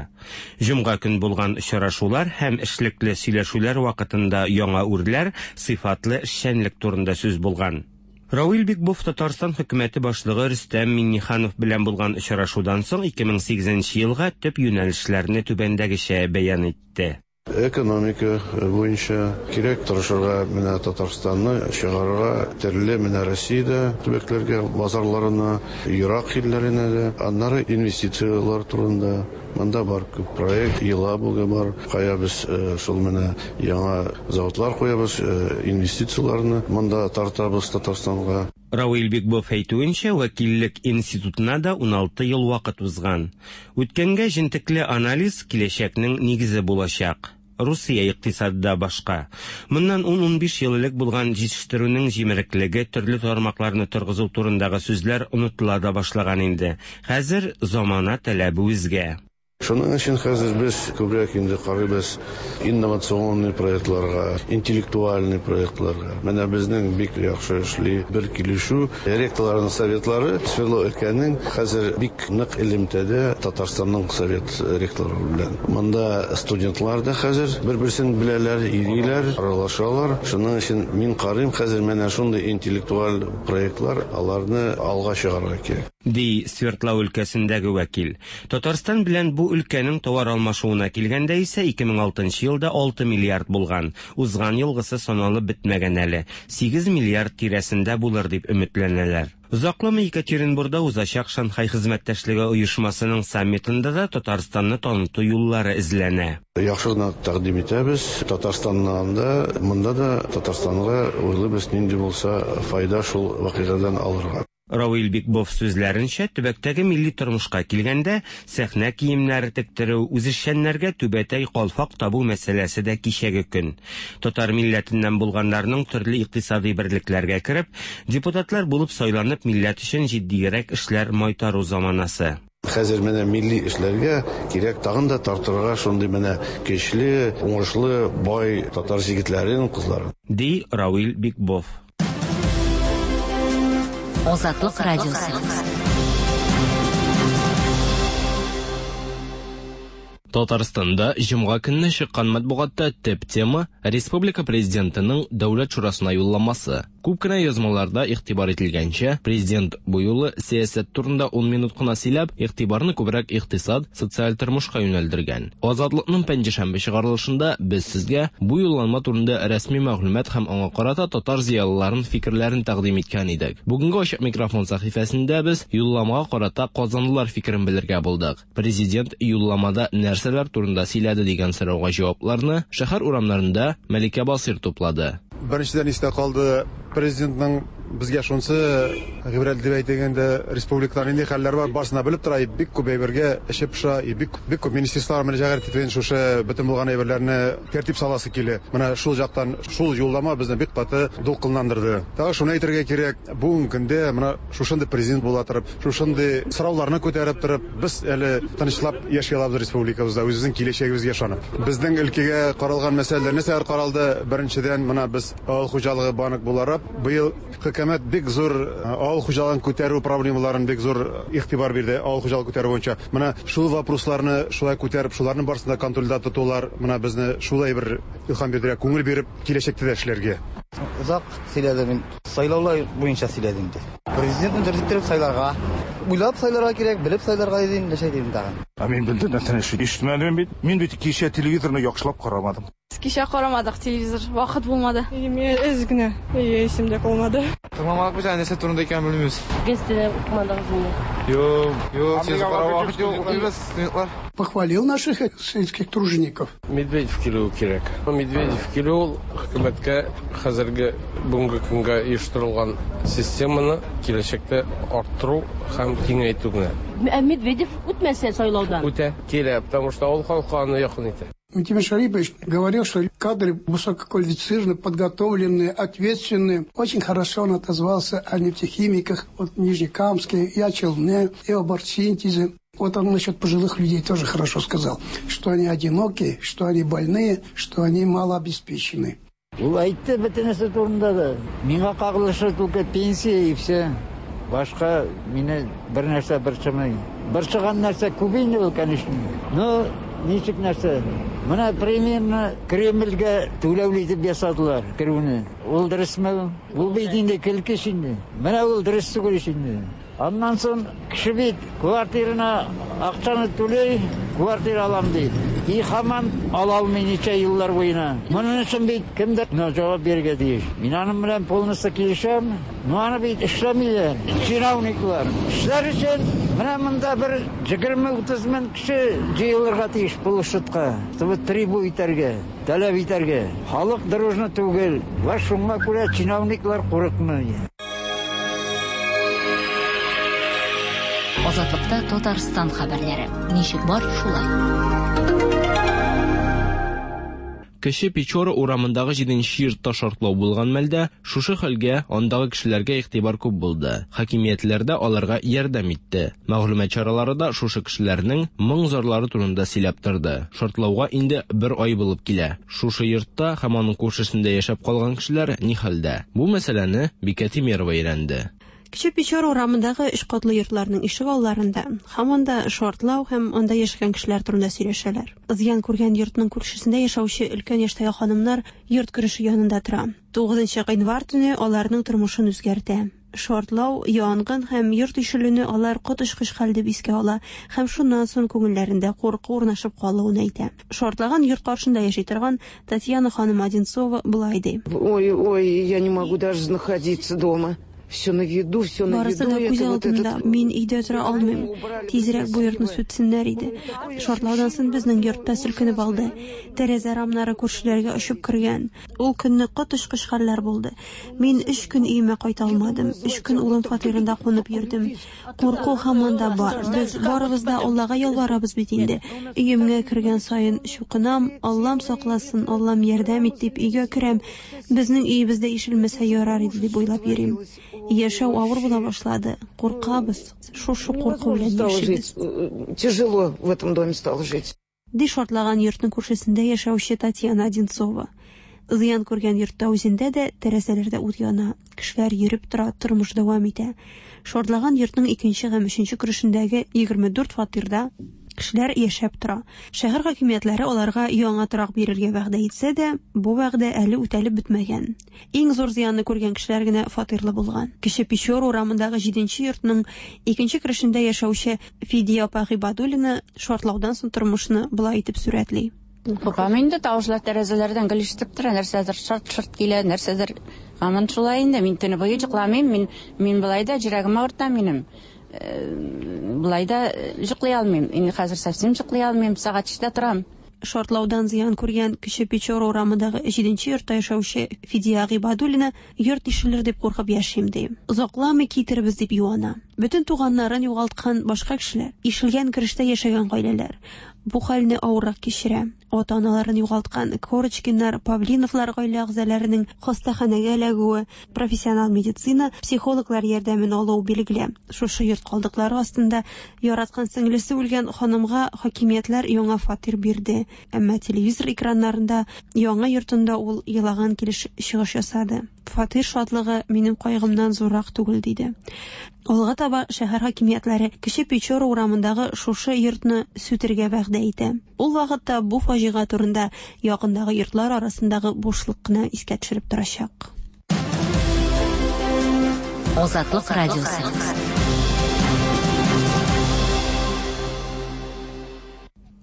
Җомга көн булган очрашулар һәм эшлекле сөйләшүләр вакытында яңа үрләр, сыйфатлы эшчәнлек турында сүз булган. Рауил Бикбов Татарстан хөкүмәте башлыгы Рөстәм Минниханов белән булган очрашудан соң ике мең сигезенче елга төп юнәлешләрне түбәндәгечә бәян итте. Экономика буенча кирәк тырышырга, менә Татарстанны чыгарырга төрле менә Россиядә төбәкләргә, базарларына, ерак илләренә дә, аннары инвестицияләр турында. Монда бар күп проект, Елабуга бар. Кая без шул менә яңа заводлар куябыз, инвестицияләрне монда тартабыз Татарстанга. Равил Бикбов әйтүенчә, вәкиллек институтына да уналты ел вакыт узган. Үткәнгә җентекле анализ киләчәкнең нигезе булачак. Русия икътисады да башка. Моннан ун-унбиш ел элек булган җитештерүнең җимереклеге, төрле тармакларны торгызу турындагы сүзләр онытыла да башлаган инде. Хәзер замана таләбе үзгә. Шуның өчен хәзер без күбрәк инде карыйбыз инновационный проектларга, интеллектуальный проектларга. Менә безнең бик яхшы эшли бер килешү. Ректорларның советлары Свердлов өлкәнең хәзер бик нык элемтәдә Татарстанның совет ректорлары белән. Монда студентлар да хәзер бер-берсен беләләр, йөриләр, аралашалар. Шуның өчен мин карыйм хәзер менә шундый интеллектуаль проектлар, аларны алга чыгарырга кирәк. Ди Свердлов өлкәсендәге вәкил. Татарстан белән бу өлкәнең товар алмашуына килгәндә исә ике мең алтынчы елда алты миллиард булган. Узган елгысы саналып бетмәгән әле. Сигез миллиард тирәсендә булыр дип өметләнәләр. Озакламый Екатеринбургда узачак Шанхай хезмәттәшлеге оешмасының саммитында да Татарстанны таныту юллары эзләнә. Яхшы гына тәкъдим итәбез. Татарстаннан да, монда да Татарстанга уйлыйбыз, нинди булса файда шул вакыйгадан алырга. Равил Бикбов сүзләренчә, төбәктәге милли тормышка килгәндә, сәхнә киемнәре тектерү, үзешчәннәргә түбәтәй калфак табу мәсьәләсе дә кичәге көн. Татар милләтеннән булганнарның төрле икътисади берлекләргә кереп, депутатлар булып сайланып, милләт өчен җитдиерәк эшләр майтару заманасы. Хәзер менә милли эшләргә кирәк тагын да тартырга шундый менә көчле, уңышлы, бай татар егетләрен, кызларын. Ди Равил Бикбов. Азатлык радиосы. Татарстанда җомга көнне чыккан матбугатта төп тема республика президентының Дәүләт шурасына юлламасы. Күп кенә язмаларда игътибар ителгәнчә, президент бу юлы сәясәт турында ун минут кына сөйләп, игътибарны күбрәк икътисад, социаль тормышка юнәлдергән. Азатлыкның пәнҗешәмбе чыгарылышында без сезгә бу юлланма турында рәсми мәгълүмат һәм аңа карата татар зыялыларының фикерләрен тәкъдим иткән идек. Бүгенге ачык микрофон сәхифәсендә без юлламага карата казанлылар фикерен белергә булдык. Президент юлламада нәрсәләр турында сөйләде дигән сорауга җавапларны шәһәр урамнарында Мәликә Басир туплады. Беренчедән истә калды президентның безгә шунсы гыйбрәт дип әйтгәндә, республикада нинди хәлләр бар, барысына белеп тора, бик күп әйбергә эше пыша, бик бик күп министрлар мөрәҗәгать итеп шушы бөтен булган әйберләрне тәртип саласы килә. Менә шул жактан шул юллама безне бик каты дулкынландырды. Тагы шуны әйтергә кирәк, бүгенге көндә менә шушындый президент була торып, шушындый сорауларны күтәреп торып, без әле тынычлап яши алабыз республикабызда, үзебезнең киләчәгебезгә ышанып. Безнең өлкәгә каралган мәсьәләләр нәрсәләр каралды? Беренчедән, менә без авыл хуҗалыгы банк буларак быел хөкүмәт бик зур авыл хуҗалыгын күтәрү проблемаларын бик зур игътибар бирде, авыл хуҗалыгы күтәрү буенча. Менә шул вопросларны шулай күтәреп, шуларның барысын да контрольдә тотулар, менә безне шулай бер илһам бирде, күңел биреп киләчәктә дә эшләргә. Озак сөйләде мин, сайлаулар буенча сөйләде инде. Президентны дөрес итеп сайларга, уйлап сайларга кирәк, белеп сайларга дидем, нәрсә дидем тагын. Ә мин белдем, нәрсәне ишетмәдем бит. Мин бит кичә телевизорны яхшылап карамадым. Кичә карамадык телевизор, вакыт булмады. Мин әз генә, исемдә калмады. Тыңламадык без, нәрсә турында икәнен белмибез. Газетада укымадыгыз инде. Юк, юк, сез карап вакыт юк, укыйбыз, студентлар. Похвалил наших сельских тружеников. Медведев килүе кирәк. Медведев килү ул хөкүмәткә хәзерге бүгенге көнгә оештырылган системаны киләчәктә арттыру һәм киңәйтү генә. Ә Медведев үтмәсә сайлаудан? Үтә, килә, потому что ул халыкка аны якын итә. Минтимер Шарипович говорил, что кадры высококвалифицированные, подготовленные, ответственные. Очень хорошо он отозвался о нефтехимиках, вот в Нижнекамске, и о Челне, и об оргсинтезе. Вот он насчет пожилых людей тоже хорошо сказал, что они одинокие, что они больные, что они малообеспечены. Ул әйтте бөтен нәрсә турында да. Миңа кагылышы только пенсия и все. Башка мине бер нәрсә борчымый. Борчыган нәрсә күп инде ул, конечно. Но ничек нәрсә? Менә примерно Кремльгә түләүле итеп ясадылар керүне. Ул дөресме? Ул бит инде көлке инде. Менә ул дөрес түгел инде. Аннан соң кеше бит квартирына акчаны түли, квартира алам ди. И һаман ала алмый ничә еллар буена. Моның өчен бит кемдер җавап бирергә тиеш. Мин аның белән полностью килешәм. Но аны бит эшләмиләр. Чиновниклар. Эшләр өчен менә монда бер егерме утыз мең кеше җыелырга тиеш площадька, чтобы трибу итәргә, таләп итәргә. Халык дружно түгел. Ва шуңа күрә чиновниклар курыкмый. Азатлыкта Татарстан хәбәрләре. Ничек бар, шулай. Кече Печора урамындагы җиденче йортта шартлау булган мәлдә шушы хәлгә андагы кешеләргә игътибар күп булды. Хакимиятләр дә аларга ярдәм итте. Мәгълүмат чаралары да шушы кешеләрнең моң-зарлары турында сөйләп торды. Шартлауга инде бер ай булып килә. Шушы йортта һәм аның күршесендә яшәп калган кешеләр ни хәлдә? Бу мәсьәләне Бикә Тимерова өйрәнде. Кече Печора урамындагы өч катлы йортларның ишек алларында һаман да шартлау һәм анда яшәгән кешеләр турында сөйләшәләр. Зыян күргән йортның күршесендә яшәүче өлкән яшьтәге ханымнар йорт кереше янында тора. тугызынчы гыйнвар төне аларның тормышын үзгәртә. Шартлау, янгын һәм йорт ишелүне алар коточкыч хәл дип искә ала һәм шуннан соң күңелләрендә курку урнашып калуын әйтә. Шартлаган йорт каршында яши торган Татьяна ханым Одинцова былай ди. Ой, ой, я не могу даже находиться дома. Все на виду, все на Барысы виду. да күз алдымда. Мин өйдә тора алмыйм. Тизрәк бу йортны сүтсеннәр иде. Шартлаудан соң безнең йортта селкенеп алды. Тәрәзә рамнары күршеләргә очып кергән. Ул көнне коточкыч хәлләр булды. Мин өч көн өемә кайта алмадым. Өч көн улым фатирында кунып йөрдем. Курку һаман да бар. Без барыбыз да Аллага ялварабыз бит инде. Өемгә кергән саен чукынам, Аллам сакласын, Аллам ярдәм ит дип өйгә керәм. Безнең өебездә ишелмәсә ярар иде дип уйлап йөрим. Яшәү авыр була башлады. Куркабыз. Шушы курку белән яшибез. Тяжело в этом доме стало жить. Ди шартлаган йортның күршесендә яшәүче Татьяна Одинцова. Зыян күргән йортта үзендә дә тәрәзәләрдә ут яна. Кешеләр йөреп тора, тормыш дәвам итә. Шартлаган йортның икенче һәм өченче керешендәге егерме дүрт фатирда кешеләр яшәп тора. Шәһәр хакимиятләре аларга яңа торак бирергә вәгъдә итсә дә, бу вәгъдә әле үтәлеп бетмәгән. Иң зур зыянны күргән кешеләр генә фатирлы булган. Кече Печора урамындагы җиденче йортның икенче керешендә яшәүче Фидия апа Гыйбадуллина шартлаудан соң тормышны болай итеп сурәтли. Куркам инде, тавышлар тәрәзәләрдән гел ишетеп тора, нәрсәдер шарт-шарт килә, нәрсәдер һаман шулай инде. Мин төне буе йокламыйм, мин мин болай да йөрәгем авырта минем. Болай да йоклый алмыйм. Инде хәзер совсем йоклый алмыйм, сәгать өчтә торам. Шартлаудан зыян күргән Кече Печора урамындагы җиденче йортта яшәүче Фидия Гыйбадуллина йорт ишелер дип куркып яшим ди. Озакламый китербез дип юана. Бөтен туганнарын югалткан башка кешеләр, ишелгән керештә яшәгән гаиләләр бу хәлне авыррак кичерә. Ата-аналарын югалткан Корочкиннар, Павлиновлар гаилә әгъзаларының хастаханәгә эләгүе, профессионал медицина, психологлар ярдәмен алуы билгеле. Шушы йорт калдыклары астында яраткан сеңлесе үлгән ханымга хакимиятләр яңа фатир бирде. Әмма телевизор экраннарында яңа йортында ул елаган килеш чыгыш ясады. Фатир шатлыгы минем кайгымнан зуррак түгел диде. Алга таба шәһәр хакимиятләре Кече Печора урамындагы шушы йортны сүтергә вәгъдә итә. Ул вакытта бу фаҗига турында якындагы йортлар арасындагы бушлык кына искә төшереп торачак. Азатлык радиосы.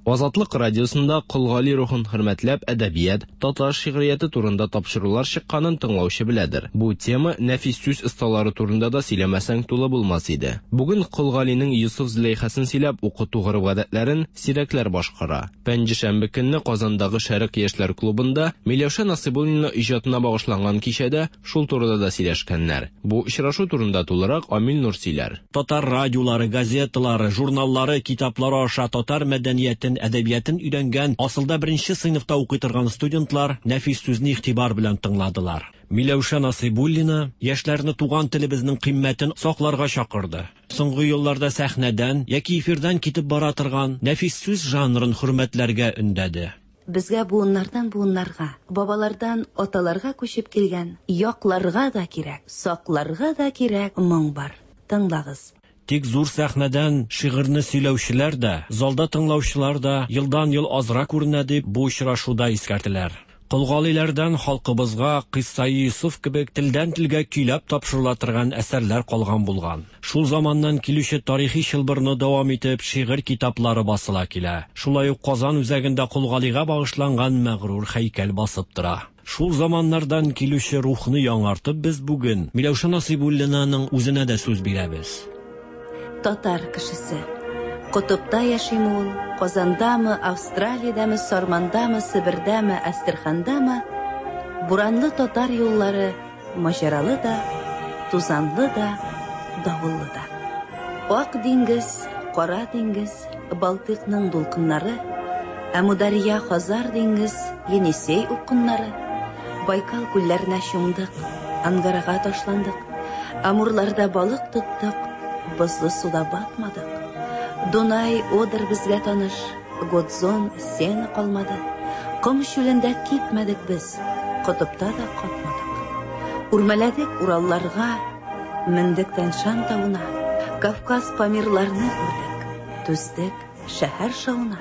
Азатлык радиосында Кол Гали рухын хөрмәтләп әдәбият, татар шигърияте турында тапшырулар чыкканын тыңлаучы беләдер. Бу тема нәфис сүз осталары турында да сөйләмәсәң тулы булмас иде. Бүген Кол Галинең Йосыф Зөләйхасын сөйләп укыту гореф-гадәтләрен сирәкләр башкара. Пәнҗешәмбе көнне Казандагы Шәрык яшьләр клубында Миләүшә Насыйбуллина иҗатына багышланган кичәдә шул турыда да сөйләшкәннәр. Бу очрашу турында тулырак Амил Нур сөйләр. Татар радиолары, газеталары, журналлары, китаплары аша татар мәдәниятен, әдәбиятын өйрәнгән, асылда беренче сыйныфта укый торган студентлар нәфис сүзне игътибар белән тыңладылар. Миләүшә Насыйбуллина яшьләрне туган телебезнең кыйммәтен сакларга чакырды. Соңгы елларда сәхнәдән яки эфирдан китеп бара торган нәфис сүз жанрын хөрмәтләргә өндәде. Безгә буыннардан буыннарга, бабалардан аталарга күчеп килгән, якларга да кирәк, сакларга да кирәк моң бар. Тыңлагыз. Тик зур сәхнәдән шигырьне сөйләүчеләр дә, залда тыңлаучылар да елдан-ел азрак күренә дип бу очрашуда искәртеләр. Кол Галиләрдән халкыбызга Кыйссаи Йосыф кебек телдән телгә көйләп тапшырыла торган әсәрләр калган булган. Шул заманнан килүче тарихи чылбырны дәвам итеп шигырь китаплары басыла килә. Шулай ук Казан үзәгендә Кол Галигә багышланган мәгърур һәйкәл басып тора. Шул заманнардан килүче рухны яңартып без бүген Миләүшә Насыйбуллинаның үзенә дә сүз бирәбез. Татар кешесе. Котыпта яшиме ул, Казандамы, Австралиядәме, Сармандамы, Себердәме, Әстерхандамы, буранлы татар юллары маҗаралы да, тузанлы да, давыллы да. Ак диңгез, Кара диңгез, Балтыйкның дулкыннары, Әмударья, Хазар диңгез, Енисей упкыннары, Байкал күлләренә чумдык, Ангарага ташландык, Амурларда балык тоттык, бозлы суда батмадык. Дунай, Одер безгә таныш, Годзон, Сена калмады. Ком чүлендә кипмәдек без, котыпта да катмадык. Үрмәләдек Уралларга, мендек Тянь-Шань тавына, Кавказ Памирларны күрдек, түздек шәһәр шауына.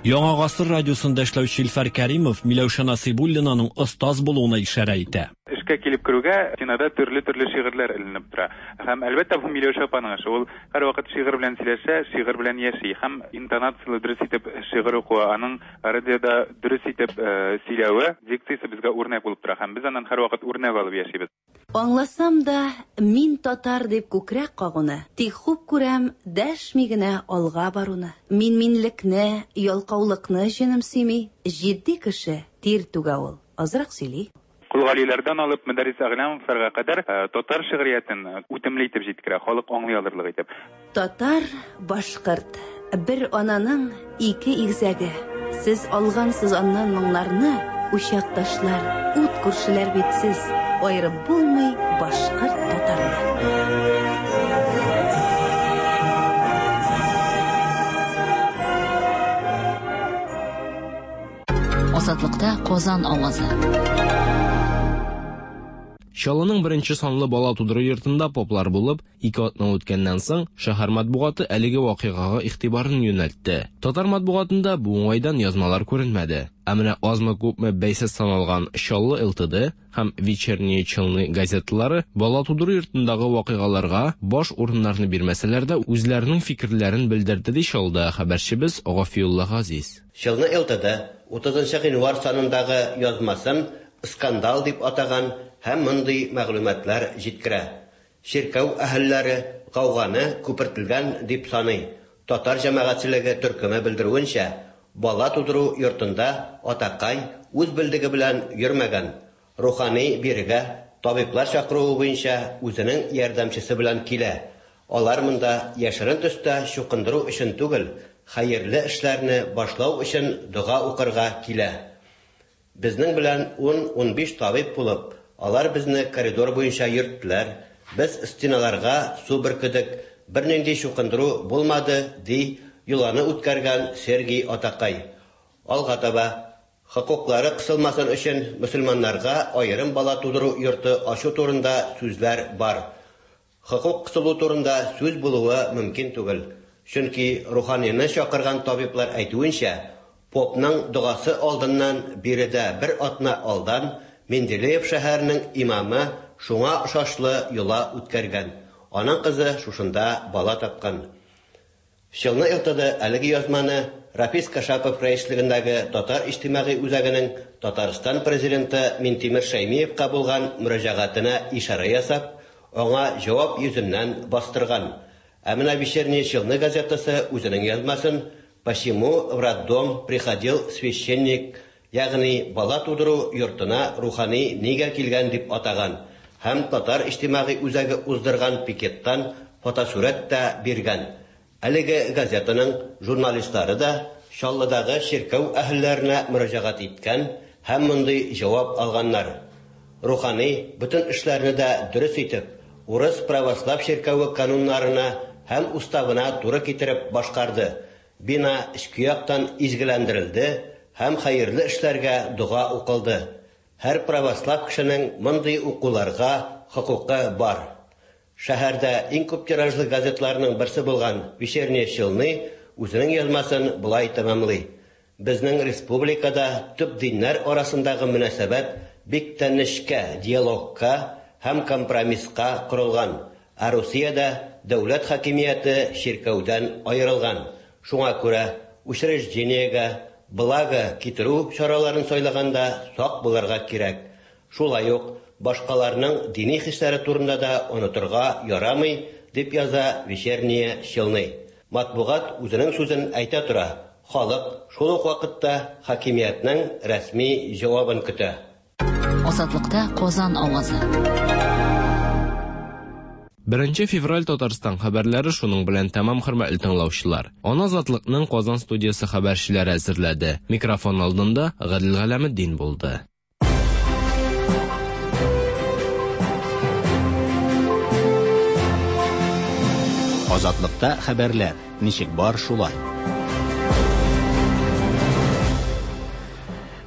Яңа гасыр радиосында эшләүче Илфар Кәримов Миләүшә Насыйбуллинаның остаз булуына ишарә итә. Эшкә килеп керүгә стенада төрле-төрле шигырьләр эленеп тора. Һәм әлбәттә бу Миләүшә апаның эше. Ул һәрвакыт шигырь белән сөйләшә, шигырь белән яши һәм интонацияле дөрес итеп шигырь укуы, аның радиода дөрес итеп сөйләве, дикциясе безгә үрнәк булып тора һәм без аннан һәрвакыт үрнәк алып яшибез. Аңласам да, мин татар дип күкрәк кагуны, тик хуп күрәм дәшми генә алга баруны. Мин минлекне, ялкаулыкны җенем сөйми, җитди кеше тир түгә ул, азрак сөйли. Кол Галиләрдән алып Мөдәррис Әгъләмовларга кадәр татар шигъриятен үтемле итеп җиткерә, халык аңлый алырлык итеп. Татар, башкорт, бер ананың ике игезәге. Сез алгансыз аннан моңнарны, учакташлар, ут күршеләр бит сез, аерып булмый башкорт татарны. Азатлыкта Казан авазы. Чаллының беренче санлы бала тудыру йортында поплар булып, ике атна үткәннән соң шәһәр матбугаты әлеге вакыйгага игътибарын юнәлтте. Татар матбугатында бу уңайдан язмалар күренмәде. Ә менә азмы-күпме бәйсез саналган Чаллы эл тэ дэ һәм Вечерние Челны газеталары бала тудыру йортындагы вакыйгаларга баш урыннарны бирмәсәләр дә үзләренең фикерләрен белдерде, ди Чаллыда хәбәрчебез Гафиулла Газиз. Чаллы эл тэ дэ утызынчы гыйнвар санындагы язмасын скандал дип атаган һәм мондый мәгълүматлар җиткерә. Чиркәү әһелләре гауганы күпертелгән дип саный. Татар җәмәгатьчелеге төркеме белдерүенчә, бала тудыру йортында атакай үз белдеге белән йөрмәгән. Рухани бирегә табиблар чакыруы буенча үзенең ярдәмчесе белән килә. Алар монда яшерен төстә чукындыру өчен түгел, хәерле эшләрне башлау өчен дога укырга килә. Безнең белән ун-унбиш табиб булып, алар безне коридор буенча йөрттеләр. Без стеналарга су бөркедек, бернинди чукындыру булмады, ди йоланы үткәргән Сергей Атакай. Алга таба хокуклары кысылмасын өчен мөселманнарга аерым бала тудыру йорты ачу турында сүзләр бар. Хокук кысылу турында сүз булуы мөмкин түгел. Чөнки руханины чакырган табиблар әйтүенчә, попның догасы алдыннан биредә бер атна алдан Менделеев шәһәренең имамы шуңа ошашлы йола үткәргән. Аның кызы шушында бала тапкан. Чаллы эл тэ дэ әлеге язманы Рафис Кашапов рәислегендәге Татар иҗтимагый үзәгенең Татарстан президенты Минтимер Шәймиевка булган мөрәҗәгатенә ишарә ясап, аңа җавап йөзеннән бастырган. Ә менә Вечерние Челны газетасы үзенең язмасын «Почему в роддом приходил священник», ягъни бала тудыру йортына рухани нигә килгән дип атаган һәм Татар иҗтимагый үзәге уздырган пикеттан фотосурәт тә биргән. Әлеге газетаның журналистлары да Чаллыдагы чиркәү әһелләренә мөрәҗәгать иткән һәм мондый җавап алганнар. Рухани бөтен эшләрне дә дөрес итеп, урыс православ чиркәве кануннарына һәм уставына туры китереп башкарды. Бина эчке яктан изгеләндерелде һәм хәерле эшләргә дога укылды. Һәр православ кешенең мондый укуларга хокукы бар. Шәһәрдә иң күп тиражлы газетларның берсе булган Вечерние Челны үзенең язмасын болай тәмамлый. Безнең республикада төп диннәр арасындагы мөнәсәбәт бик тә нечкә диалогка һәм компромисска корылган, ә Русиядә дәүләт хакимияте чиркәүдән аерылган. Шуңа күрә учреждениегә благо китерү чараларын сайлаганда сак булырга кирәк. Шулай ук башкаларның дини хисләре турында да онытырга ярамый, дип яза Вечерние Челны. Матбугат үзенең сүзен әйтә тора. Халык шул ук вакытта хакимиятнең рәсми җавабын көтә. Азатлыкта Казан авазы. Беренче февраль Татарстан хәбәрләре шуның белән тәмам, хөрмәтле тыңлаучылар. Аны Азатлыкның Казан студиясе хәбәрчеләре әзерләде. Микрофон алдында Гадел Галәметдин булды. Азатлыкта хәбәрләр ничек бар шулай.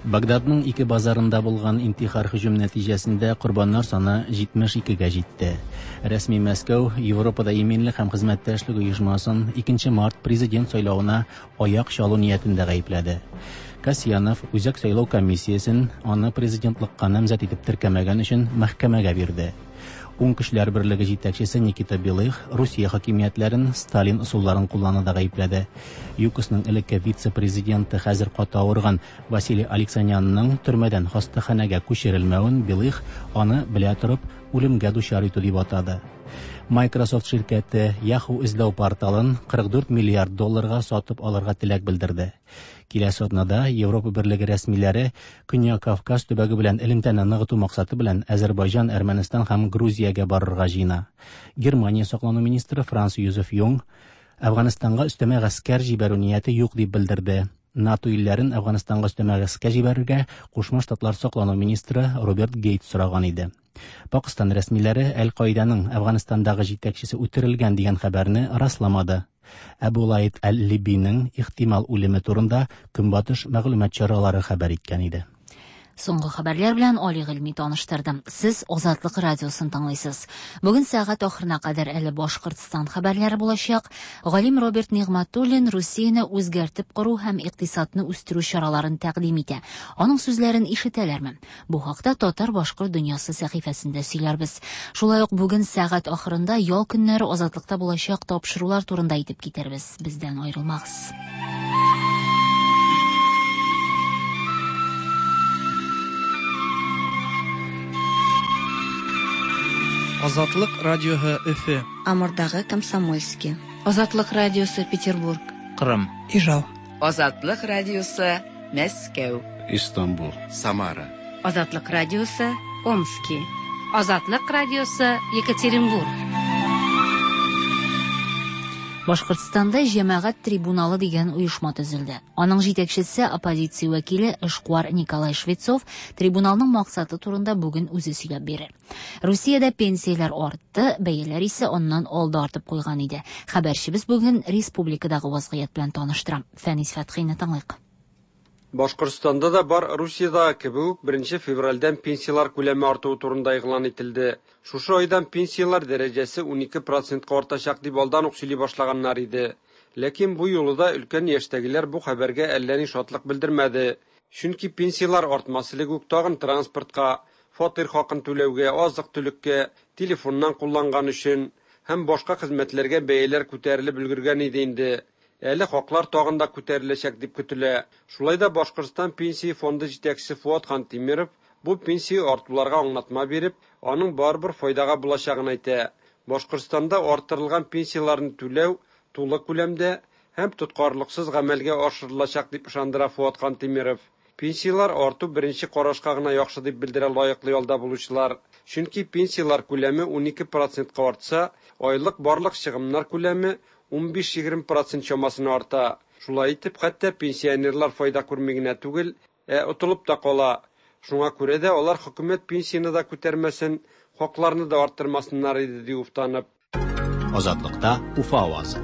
Багдадның ике базарында булган интихар һөҗүм нәтиҗәсендә корбаннар саны җитмеш икегә җитте. Рәсми Мәскәү Европада иминлек һәм хезмәттәшлек оешмасын икенче март президент сайлавына аяк чалу ниятендә гаепләде. Касьянов Үзәк сайлау комиссиясен аны президентлыкка намзәт итеп теркәмәгән өчен мәхкәмәгә бирде. Уң көчләр берлеге җитәкчесе Никита Белых Русия хакимиятләрен Сталин ысулларын куллануда гаепләде. ЮКОСның элекке вице-президенты хәзер каты авырган Василий Алексанянның төрмәдән хастаханәгә күчерелмәвен Белых аны белә торып үлемгә дучар итү дип атады. Microsoft ширкәте Yahoo эзләү порталын кырык дүрт миллиард долларга сатып алырга теләк белдерде. Киләсе атнада Европа Берлеге рәсмиләре Көньяк Кавказ төбәге белән элемтәне ныгыту максаты белән Азербайҗан, Әрмәнстан һәм Грузиягә барырга җыена. Германия саклану министры Франц Йозеф Юнг Әфганстанга өстәмә гаскәр җибәрү нияте юк дип белдерде. НАТО илләрен Әфганстанга өстәмә гаскәр җибәрергә Кушма Штатлар саклану министры Роберт Гейтс сораган иде. Пакистан рәсмиләре Әл-Каиданың Әфганстандагы җитәкчесе үтерелгән дигән хәбәрне расламады. Әбу Лайт әл-Либиның ихтимал үлеме турында Көнбатыш мәгълүмат чаралары хәбәр иткән иде. Соңгы хәбәрләр белән Али Гыйльми таныштырдым. Сез Азатлык радиосын тыңлыйсыз. Бүген сәгать ахырына кадәр әле Башкортстан хәбәрләре булачак. Галим Роберт Нигъмәтуллин Русияне үзгәртеп кору һәм икътисадны үстерү чараларын тәкъдим итә. Аның сүзләрен ишетәләрме? Бу хакта Татар-башкорт дөньясы сәхифәсендә сөйләрбез. Шулай ук бүген сәгать ахырында ял көннәре Азатлыкта булачак тапшырулар турында әйтеп китербез. Бездән аерылмагыз. Азатлык радиоһы Өфе. Амурдагы Комсомольский. Азатлык радиосы Петербург. Кырым. Ижау. Азатлык радиосы Мәскәү. Истанбул. Самара. Азатлык радиосы Омски. Азатлык радиосы Екатеринбург. Башкортстанда җәмәгать трибуналы дигән оешма төзелде. Аның җитәкчесе оппозиция вәкиле эшкуар Николай Швецов трибуналның максаты турында бүген үзе сөйләп бирер. Русиядә пенсияләр артты, бәяләр исә аннан алда артып куйган иде. Хәбәрчебез бүген республикадагы вазгыять белән таныштыра. Фәнис Фәтхине тыңлыйк. Башкортстанда да бар Русиядагы кебек үк беренче февральдән пенсияләр күләме артуы турында игълан ителде. Шушы айдан пенсияләр дәрәҗәсе унике процентка артачак дип алдан ук сөйли башлаганнар иде. Ләкин бу юлы да өлкән яшьтәгеләр бу хәбәргә әллә ни шатлык белдермәде. Чөнки пенсияләр артмас элек үк тагын транспортка, фатир хакын түләүгә, азык-төлеккә, телефоннан кулланган өчен һәм башка хезмәтләргә бәяләр күтәрелеп өлгергән иде инде. Әле хаклар тагын да күтәреләчәк дип көтелә. Шулай да Башкортстан пенсия фонды җитәкчесе Фуат Хантимиров бу пенсия артуларга аңлатма биреп, аның барыбер файдага булачагын әйтә. Башкортстанда арттырылган пенсияләрне түләү тулы күләмдә һәм тоткарлыксыз гамәлгә ашырылачак дип ышандыра Фуат Хантимиров. Пенсияләр арту беренче карашка гына яхшы дип белдерә лаеклы ялда булучылар. Чөнки пенсияләр күләме унике процентка артса, айлык барлык чыгымнар күләме унбиш-егерме процент чамасына арта. Шулай итеп, хәтта пенсионерлар файда күрми генә түгел, ә отылып та кала. Шуңа күрә дә алар хөкүмәт пенсияне дә күтәрмәсен, хакларны да арттырмасыннар иде дип уфтанып. Азатлыкта Уфа авазы.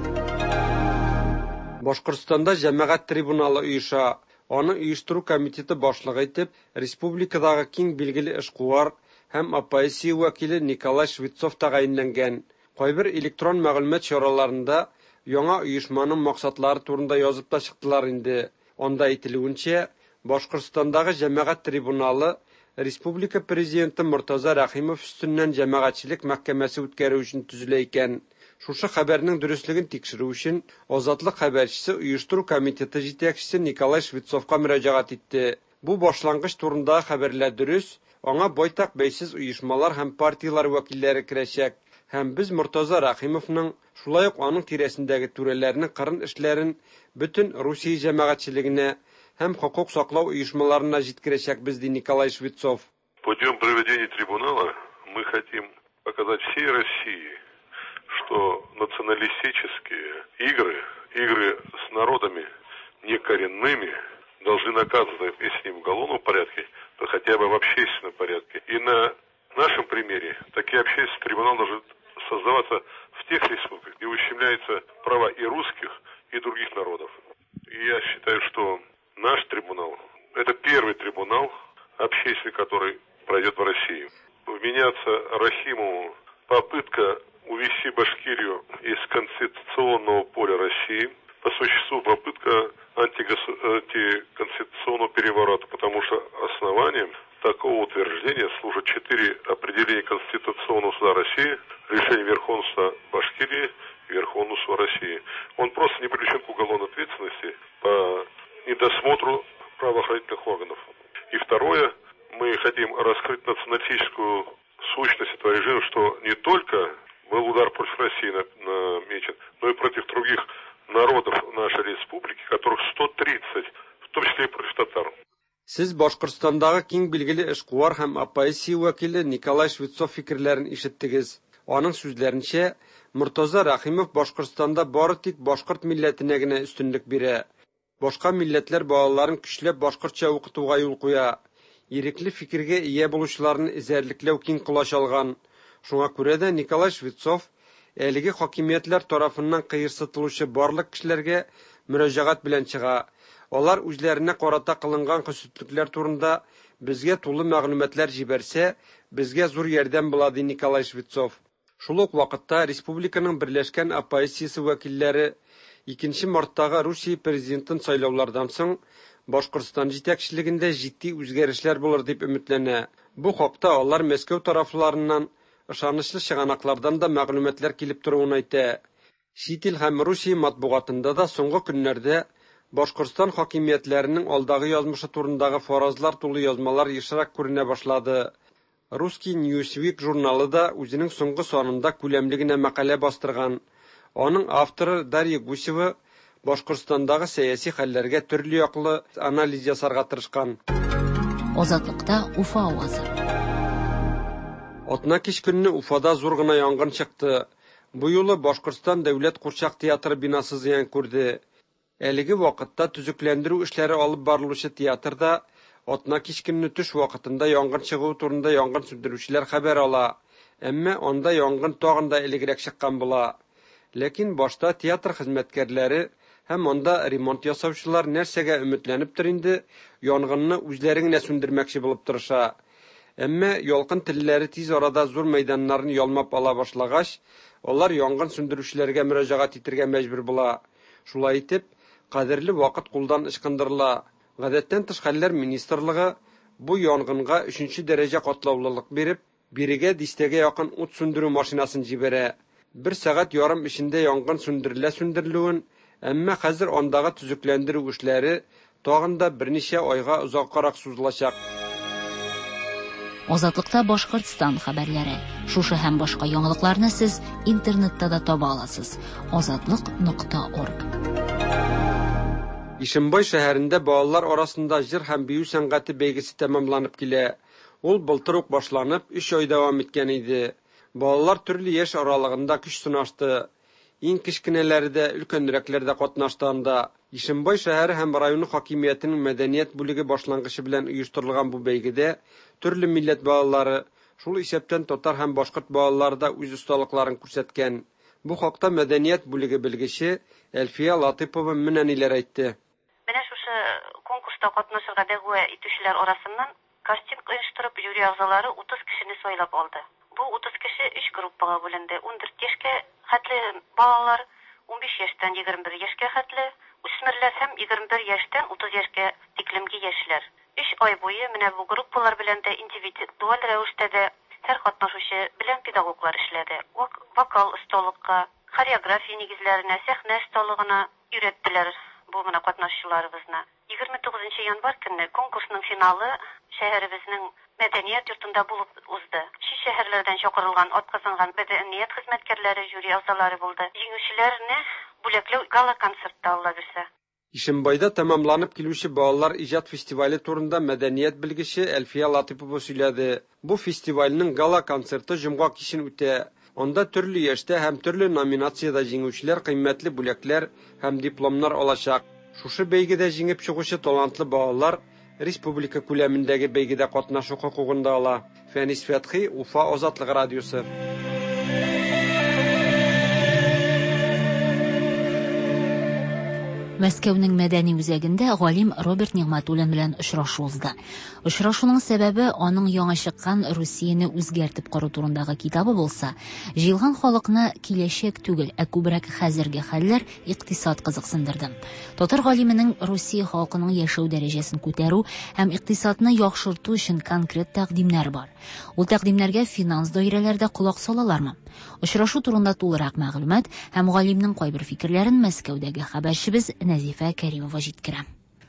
Башкортстанда җәмәгать трибуналы оеша. Аны оештыру комитеты башлыгы итеп республикадагы киң билгеле эшкуар һәм оппозиция вәкиле Николай Швецов тәгаенләнгән. Кайбер электрон мәгълүмат чараларында яңа оешманың максатлары турында язып та чыктылар инде. Анда әйтелүенчә, Башкортстандагы җәмәгать трибуналы республика президенты Мортаза Рәхимов өстеннән җәмәгатьчелек мәхкәмәсе үткәрү өчен төзелә икән. Шушы хәбәрнең дөреслеген тикшерү өчен Азатлык хәбәрчесе оештыру комитеты җитәкчесе Николай Швецовка мөрәҗәгать итте. Бу башлангыч турындагы хәбәрләр дөрес, аңа байтак бәйсез оешмалар һәм партияләр вәкилләре керәчәк. Һәм без Мортаза Рәхимовның, шулай ук аның тирәсендәге түрәләрнең кырын эшләрен бөтен Русия җәмәгатьчелегенә һәм хокук саклау оешмаларына җиткерәчәкбез, ди Николай Швецов. Путем проведения трибунала мы хотим показать всей России, что националистические игры, игры с народами некоренными, должны наказываться, если не в уголовном порядке, то хотя бы в общественном порядке. И на нашем примере такие общественные трибуналы должны создаваться в тех республиках, где ущемляются права и русских, и других народов. И я считаю, что наш трибунал – это первый трибунал общественный, который пройдет в России. Вменяться Рахимову попытка увести Башкирию из конституционного поля России, по существу попытка антиконституционного переворота, потому что основанием такого утверждения служат четыре определения Конституционного суда России, решение Верховного суда Башкирии и Верховного суда России. Он просто не привлечен к уголовной ответственности по недосмотру правоохранительных органов. И второе, мы хотим раскрыть националистическую сущность этого режима, что не только был удар против России намечен, но и против других народов нашей республики, которых сто тридцать, в том числе и против татар. Сез Башкортстандагы киң билгеле эшкуар һәм оппозиция вәкиле Николай Швецов фикерләрен ишеттегез. Аның сүзләренчә, Мортаза Рәхимов Башкортстанда бары тик башкорт милләтенә генә өстенлек бирә. Башка милләтләр балаларын көчләп башкортча укытуга юл куя. Ирекле фикергә ия булучыларны эзәрлекләү киң колач алган. Шуңа күрә дә Николай Швецов әлеге хакимиятләр тарафыннан кыерсытылучы барлык кешеләргә мөрәҗәгать белән чыга. Алар үзләренә карата кылынган хөсетлекләр турында безгә тулы мәгълүматлар җибәрсә, безгә зур ярдәм була, ди Николай Швецов. Шул ук вакытта республиканың берләшкән оппозициясе вәкилләре икенче марттагы Русия президентын сайлаулардан соң Башкортстан җитәкчелегендә җитди үзгәрешләр булыр дип өметләнә. Бу хакта алар Мәскәү тарафларыннан ышанычлы чыганаклардан да мәгълүматлар килеп торуын әйтә. Чит ил һәм Русия матбугатында да соңгы көннәрдә Башкортстан хакимиятләренең алдагы язмышы турындагы фаразлар тулы язмалар ешрак күренә башлады. Русский Newsweek журналы да үзенең соңгы санында күләмле генә мәкалә бастырган. Аның авторы Дарья Гусева Башкортстандагы сәяси хәлләргә төрле яклы анализ ясарга тырышкан. Азатлыкта Уфа авазы. Атна кич көнне Уфада зур гына янгын чыкты. Бу юлы Башкортстан дәүләт курчак театры бинасы зыян күрде. Әлеге вакытта төзекләндерү эшләре алып барылучы театрда атна кич көнне төш вакытында янгын чыгу турында янгын сүндерүчеләр хәбәр ала. Әмма анда янгын тагын да элегрәк чыккан була. Ләкин башта театр хезмәткәрләре һәм анда ремонт ясаучылар нәрсәгә өметләнептер инде, янгынны үзләре генә сүндермәкче булып тырыша. Әмма ялкын телләре тиз арада зур мәйданнарны ялмап ала башлагач, алар янгын сүндерүчеләргә мөрәҗәгать итәргә мәҗбүр була. Шулай итеп, кадерле вакыт кулдан ычкындырыла. Гадәттән тыш хәлләр министрлыгы бу янгынга өченче дәрәҗә катлаулылык биреп, бирегә дистәгә якын ут сүндерү машинасын җибәрә. Бер сәгать ярым эчендә янгын сүндерелә сүндерелүен, әмма хәзер андагы төзекләндерү эшләре тагын да берничә айга озаккарак сузылачак. Азатлыкта Башкортстан хәбәрләре. Шушы һәм башка яңалыкларны сез интернетта да таба аласыз. Азатлык нокта орг. Ишембай шәһәрендә балалар арасында җыр һәм бию сәнгате бәйгесе тәмамланып килә. Ул былтыр ук башланып, өч ай дәвам иткән иде. Балалар төрле яшь аралыгында көч сынашты. Иң кечкенәләре дә, өлкәнрәкләр дә катнашты анда. Ишембай шәһәре һәм районы хакимиятенең мәдәният бүлеге башлангычы белән оештырылган бу бәйгедә төрле милләт балалары, шул исәптән татар һәм башкорт балалары да үз осталыкларын күрсәткән. Бу хакта мәдәният бүлеге белгече Әлфия Латыпова менә ниләр әйтте. Менә шушы конкурста катнашырга дәгъва итүчеләр арасыннан кастинг оештырып, жюри әгъзалары утыз кешене сайлап алды. Бу утыз кеше өч группага бүленде. Ундүрт яшькә хәтле балалар, унбиш яшьтән егерме бер яшькә хәтле Яшүсмерләр һәм егерме бер яшьтән утыз яшькә тиклемге яшьләр. Өч ай буе менә бу группалар белән дә индивидуаль рәвештә дә һәр катнашучы белән педагоглар эшләде. Вокал осталыкка, хореография нигезләренә, сәхнә осталыгына өйрәттеләр бу менә катнашучыларыбызны. Егерме тугызынчы январь көнне конкурсның финалы шәһәребезнең мәдәният йортында булып узды. Чит шәһәрләрдән чакырылган атказанган мәдәният хезмәткәрләре, жюри әгъзалары булды. Җиңүчеләрне бүләкләү гала-концертта Алла бирсә. Ишембайда тәмамланып килүче балалар иҗат фестивале турында мәдәният белгече Әлфия Латыпова сөйләде. Бу фестивальнең гала-концерты җомга кичен үтә. Анда төрле яшьтә һәм төрле номинациядә җиңүчеләр кыйммәтле бүләкләр һәм дипломнар алачак. Шушы бәйгедә җиңеп чыгучы талантлы балалар республика күләмендәге бәйгедә катнашу хокукын да ала. Фәнис Фәтхи, Уфа Азатлык радиосы. Мәскәүнең мәдәни үзәгендә галим Роберт Нигъмәтуллин белән очрашу узды. Очрашуның сәбәбе аның яңа чыккан Русияне үзгәртеп кору турындагы китабы булса, җыелган халыкны киләчәк түгел, ә күбрәк хәзерге хәлләр, икътисад кызыксындырды. Татар галименең Русия халкының яшәү дәрәҗәсен күтәрү һәм икътисадны яхшырту өчен конкрет тәкъдимнәр бар. Ул тәкъдимнәргә финанс даирәләрдә колак салалармы? Очрашу турында тулырак мәгълүмат һәм галимнең кайбер фикерләрен Мәскәүдәге хәбәрчебез Нәзифә Кәримова җиткерә.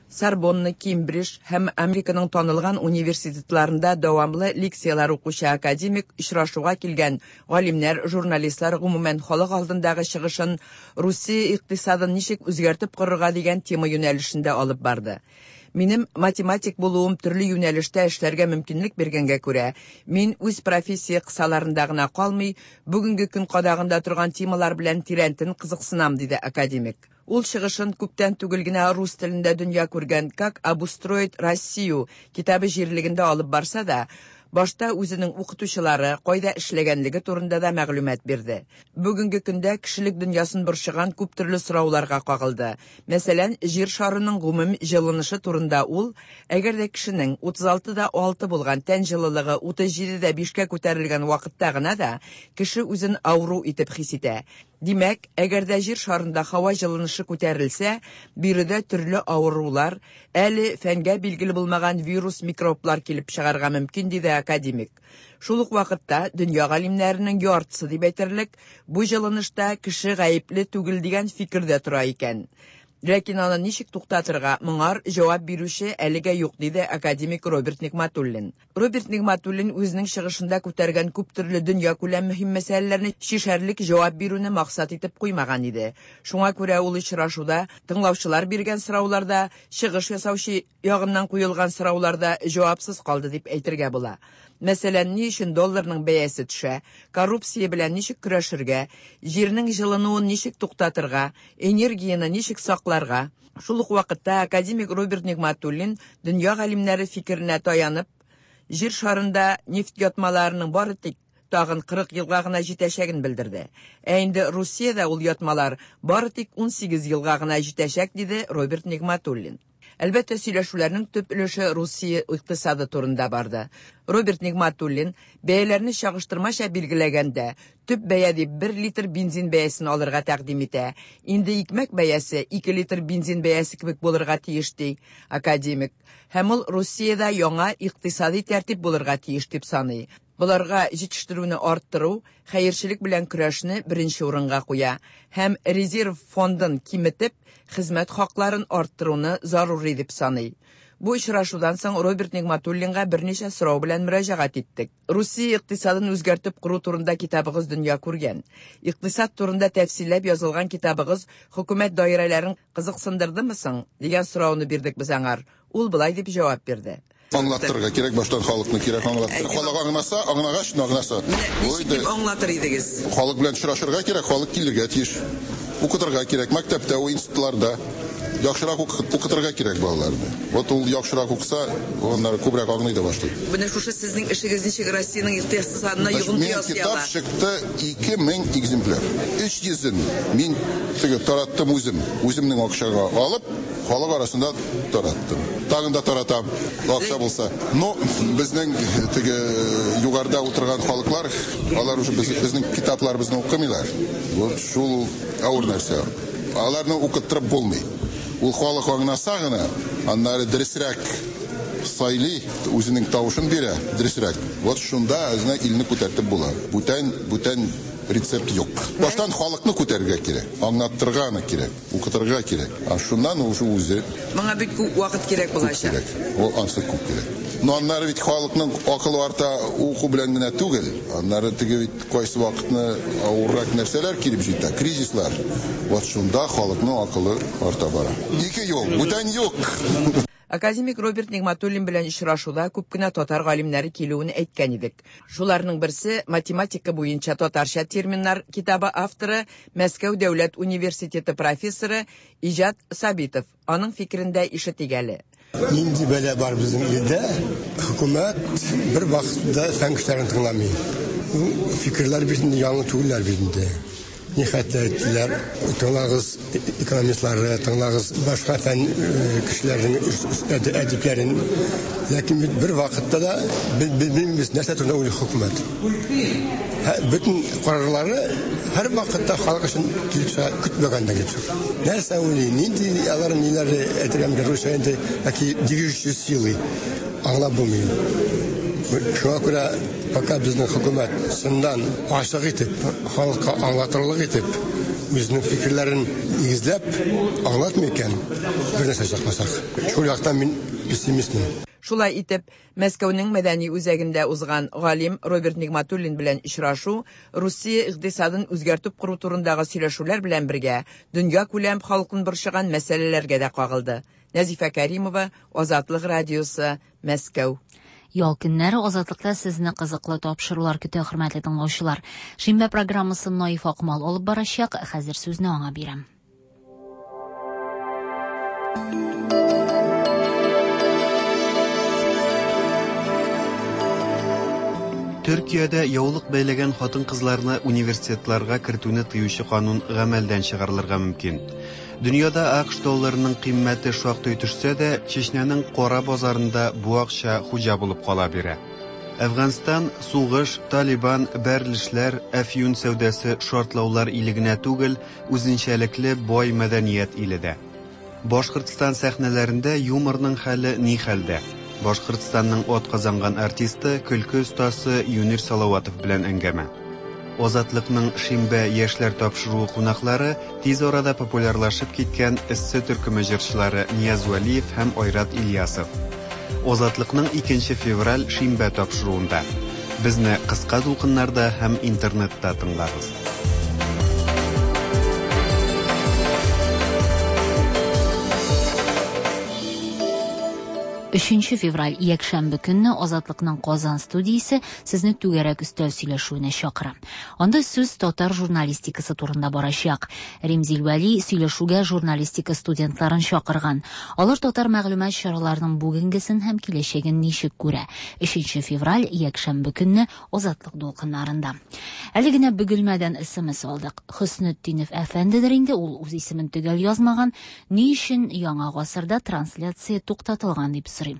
Сорбонна, Кембридж һәм Американың танылган университетларында дәвамлы лекцияләр укучы академик очрашуга килгән галимнәр, журналистлар, гомумән халык алдындагы чыгышын Русия икътисадын ничек үзгәртеп корырга дигән тема юнәлешендә алып барды. Минем математик булуым төрле юнәлештә эшләргә мөмкинлек биргәнгә күрә, мин үз профессия кысаларында гына калмый, бүгенге көн кадагында торган темалар белән тирәнтен кызыксынам, диде академик. Ул чыгышын күптән түгел генә рус телендә дөнья күргән «Как обустроить Россию» китабы җирлегендә алып барса да, башта үзенең укытучылары кайда эшләгәнлеге турында да мәгълүмат бирде. Бүгенге көндә кешелек дөньясын борчыган күп төрле сорауларга кагылды. Мәсәлән, җир шарының гомум җылынышы турында ул, әгәр дә кешенең утыз алты да алты булган тән җылылыгы утыз җиде дә бишкә күтәрелгән вакытта гына да кеше үзен авыру итеп хис итә. Димәк, әгәр дә җир шарында һава җылынышы күтәрелсә, биредә төрле авырулар, әле фәнгә билгеле булмаган вирус, микроблар килеп чыгарга мөмкин, диде академик. Шул ук вакытта дөнья галимнәренең яртысы дип әйтерлек, бу җылынышта кеше гаепле түгел дигән фикердә тора икән. Ләкин аны ничек туктатырга, моңар җавап бирүче әлегә юк, диде академик Роберт Нигъмәтуллин. Роберт Нигъмәтуллин үзенең чыгышында күтәргән күп төрле дөнья күләм мөһим мәсьәләләрне чишәрлек җавап бирүне максат итеп куймаган иде. Шуңа күрә ул очрашуда тыңлаучылар биргән сорауларда, чыгыш ясаучы ягыннан куелган сорауларда җавапсыз калды дип әйтергә була. Мәсәлән, ни өчен долларның бәясе төшә, коррупция белән ничек көрәшергә, җирнең җылынуын ничек туктатырга, энергияне ничек сакларга. Шул ук вакытта академик Роберт Нигъмәтуллин дөнья галимнәре фикеренә таянып, җир шарында нефть ятмаларының бары тик тагын кырык елга гына җитәчәген белдерде. Ә инде Русиядә ул ятмалар бары тик ун сигез елга гына җитәчәк, диде Роберт Нигъмәтуллин. Әлбәттә, сөйләшүләрнең төп өлеше Русия икътисады турында барды. Роберт Нигъмәтуллин бәяләрне чагыштырмача билгеләгәндә, төп бәя дип бер литр бензин бәясен алырга тәкъдим итә. Инде икмәк бәясе ике литр бензин бәясе кебек булырга тиеш, ди академик. Һәм ул Русиядә яңа икътисади тәртип булырга тиеш дип саный. Буларга җитештерүне арттыру, хәерчелек белән көрәшне беренче урынга куя һәм резерв фондын киметеп, хезмәт хакларын арттыруны зарури дип саный. Бу очрашудан соң Роберт Нигъмәтуллинга берничә сорау белән мөрәҗәгать иттек. Русия икътисадын үзгәртеп кору турында китабыгыз дөнья күргән. Икътисад турында тәфсилләп язылган китабыгыз хөкүмәт даирәләрен кызыксындырдымы соң дигән сорауны бирдек без аңар. Ул былай дип җавап бирде. Аңлаттырырга кирәк, баштан халыкны кирәк аңлаттырыр. Халык аңласа, аңлагач, аңласа. Ничек дип аңлатыр идегез? Халык белән очрашырга кирәк, халык килергә тиеш. Укытырга кирәк, мәктәптә, институтларда яхшырак укытырга кирәк балаларны. Вот ул яхшырак укыса, аннары күбрәк аңлый да башлый. Менә шушы сезнең эшегез ничек Россиянең икътисадына йогынты ясый ала? Китап чыкты ике мең экземпляр. Өч йөзен мин теге тараттым үзем, үземнең акчага алып, халык арасында тараттым. Тагын да таратам, акча булса. Но безнең теге югарыда утырган халыклар, алар уже безнең китапларыбызны укымыйлар. Вот шул авыр нәрсә. Аларны укыттырып булмый. Ул халык аңласа гына, аннары дөресрәк сайлый, үзенең тавышын бирә, дөресрәк. Вот шунда үзенә илне күтәртеп була. Бүтән, бүтән рецепт юк. Баштан халыкны күтәрергә кирәк, аңлаттырырга аны кирәк, укытырга кирәк. А шуннан уже үзе. Моңа бик күп вакыт кирәк булачак. Күп кирәк. Ул ансы күп кирәк. Но аннары бит халыкның акылы арта уку белән генә түгел. Аннары теге бит кайсы вакытны авыррак нәрсәләр килеп җитә, кризислар. Вот шунда халыкның акылы арта бара. Ике юл, бүтән юк. Академик Роберт Нигматуллин белән очрашуда күп кенә татар галимнәре килүен әйткән идек. Шуларның берсе математика буенча татарча терминнар китабы авторы, Мәскәү дәүләт университеты профессоры Иҗат Сабитов. Аның фикерен дә ишетик әле. Нинди бәла бар безнең илдә? Хөкүмәт бер вакытта фән кешеләрен тыңламый. Фикерләр бит инде яңа түгелләр бит инде. Нихәтле әйттеләр, тыңлагыз экономистлары, тыңлагыз башка фән кешеләренең әдипләрен. Ләкин бит бер вакытта да белмибез нәрсә турында уйлый хөкүмәт. Бөтен карарлары һәр вакытта халык өчен килеп чыга, көтмәгәндә килеп чыга. Нәрсә уйлый, нинди алар ниләре әйтергә мөмкин, русча инде яки движущие силы аңлап булмый. Шуңа күрә пока безнең хөкүмәт чыннан ачык итеп, халыкка аңлатырлык итеп, үзенең фикерләрен нигезләп аңлатмый икән, бер нәрсә чыкмасак. Шул яктан мин пессимистмын. Шулай итеп, Мәскәүнең мәдәни үзәгендә узган галим Роберт Нигматуллин белән очрашу Русия икътисадын үзгәртеп кору турындагы сөйләшүләр белән бергә дөнья күләм халкын борчыган мәсьәләләргә дә кагылды. Нәзифә Кәримова, Азатлык радиосы, Мәскәү. Ял көннәре Азатлыкта сезне кызыклы тапшырулар көтә, хөрмәтле тыңлаучылар. Шимбә программасын Наиф Акмал алып барачак. Хәзер сүзне аңа бирәм. Төркиядә яулык бәйләгән хатын-кызларны университетларга кертүне тыючы канун гамәлдән чыгарылырга мөмкин. Дөньяда АКШ долларының кыйммәте шактый төшсә дә, Чечняның кара базарында бу акча хуҗа булып кала бирә. Әфганстан, сугыш, Талибан, бәрелешләр, әфьюн сәүдәсе, шартлаулар иле генә түгел, үзенчәлекле бай мәдәният иле дә. Башкортстан сәхнәләрендә юморның хәле ни хәлдә? Башкортстанның ат казанган артисты, көлке остасы Юнир Салаватов белән әңгәмә. Азатлыкның шимбә яшьләр тапшыруы кунаклары тиз арада популярлашып киткән эссе төркеме җырчылары Нияз Вәлиев һәм Айрат Ильясов. Азатлыкның икенче февраль шимбә тапшыруында. Безне кыска дулкыннарда һәм интернетта тыңлагыз. Өченче февраль якшәмбе көнне Азатлыкның Казан студиясе сезне түгәрәк өстәл сөйләшүенә чакыра. Анда сүз татар журналистикасы турында барачак. Римзил Вәли сөйләшүгә журналистика студентларын чакырган. Алар татар мәгълүмат чараларының бүгенгесен һәм киләчәген ничек күрә. Өченче февраль якшәмбе көнне Азатлык дулкыннарында. Әле генә Бөгелмәдән СМС алдык. Хөснетдинов әфәндедер инде, ул үз исемен төгәл язмаган. Ни өчен яңа гасырда трансляция туктатылган дип сорый.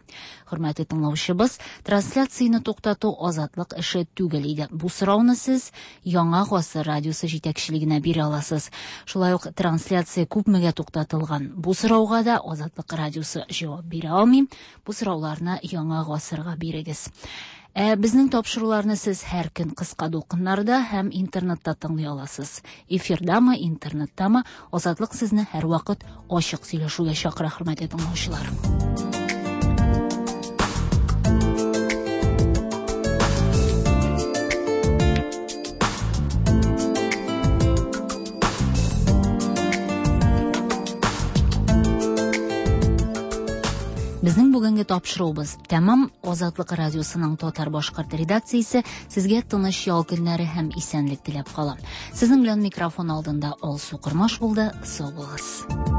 Хөрмәтле тыңлаучыбыз, трансляцияне туктату Азатлык эше түгел иде. Бу сорауны сез Яңа гасыр радиосы җитәкчелегенә бирә аласыз. Шулай ук трансляция күпмегә туктатылган? Бу сорауга да Азатлык радиосы җавап бирә алмый. Бу сорауларны Яңа гасырга бирегез. Ә безнең тапшыруларны сез һәр көн кыска дулкыннарда һәм интернетта тыңлый аласыз. Эфирдамы, интернеттамы, Азатлык сезне һәрвакыт ачык сөйләшүгә чакыра, хөрмәтле тыңлаучылар. Безнең бүгенге тапшыруыбыз тәмам. Азатлык радиосының татар-башкорт редакциясе сезгә тыныч ял көннәре һәм исәнлек теләп кала. Сезнең белән микрофон алдында Алсу Кормаш булды. Сау булыгыз.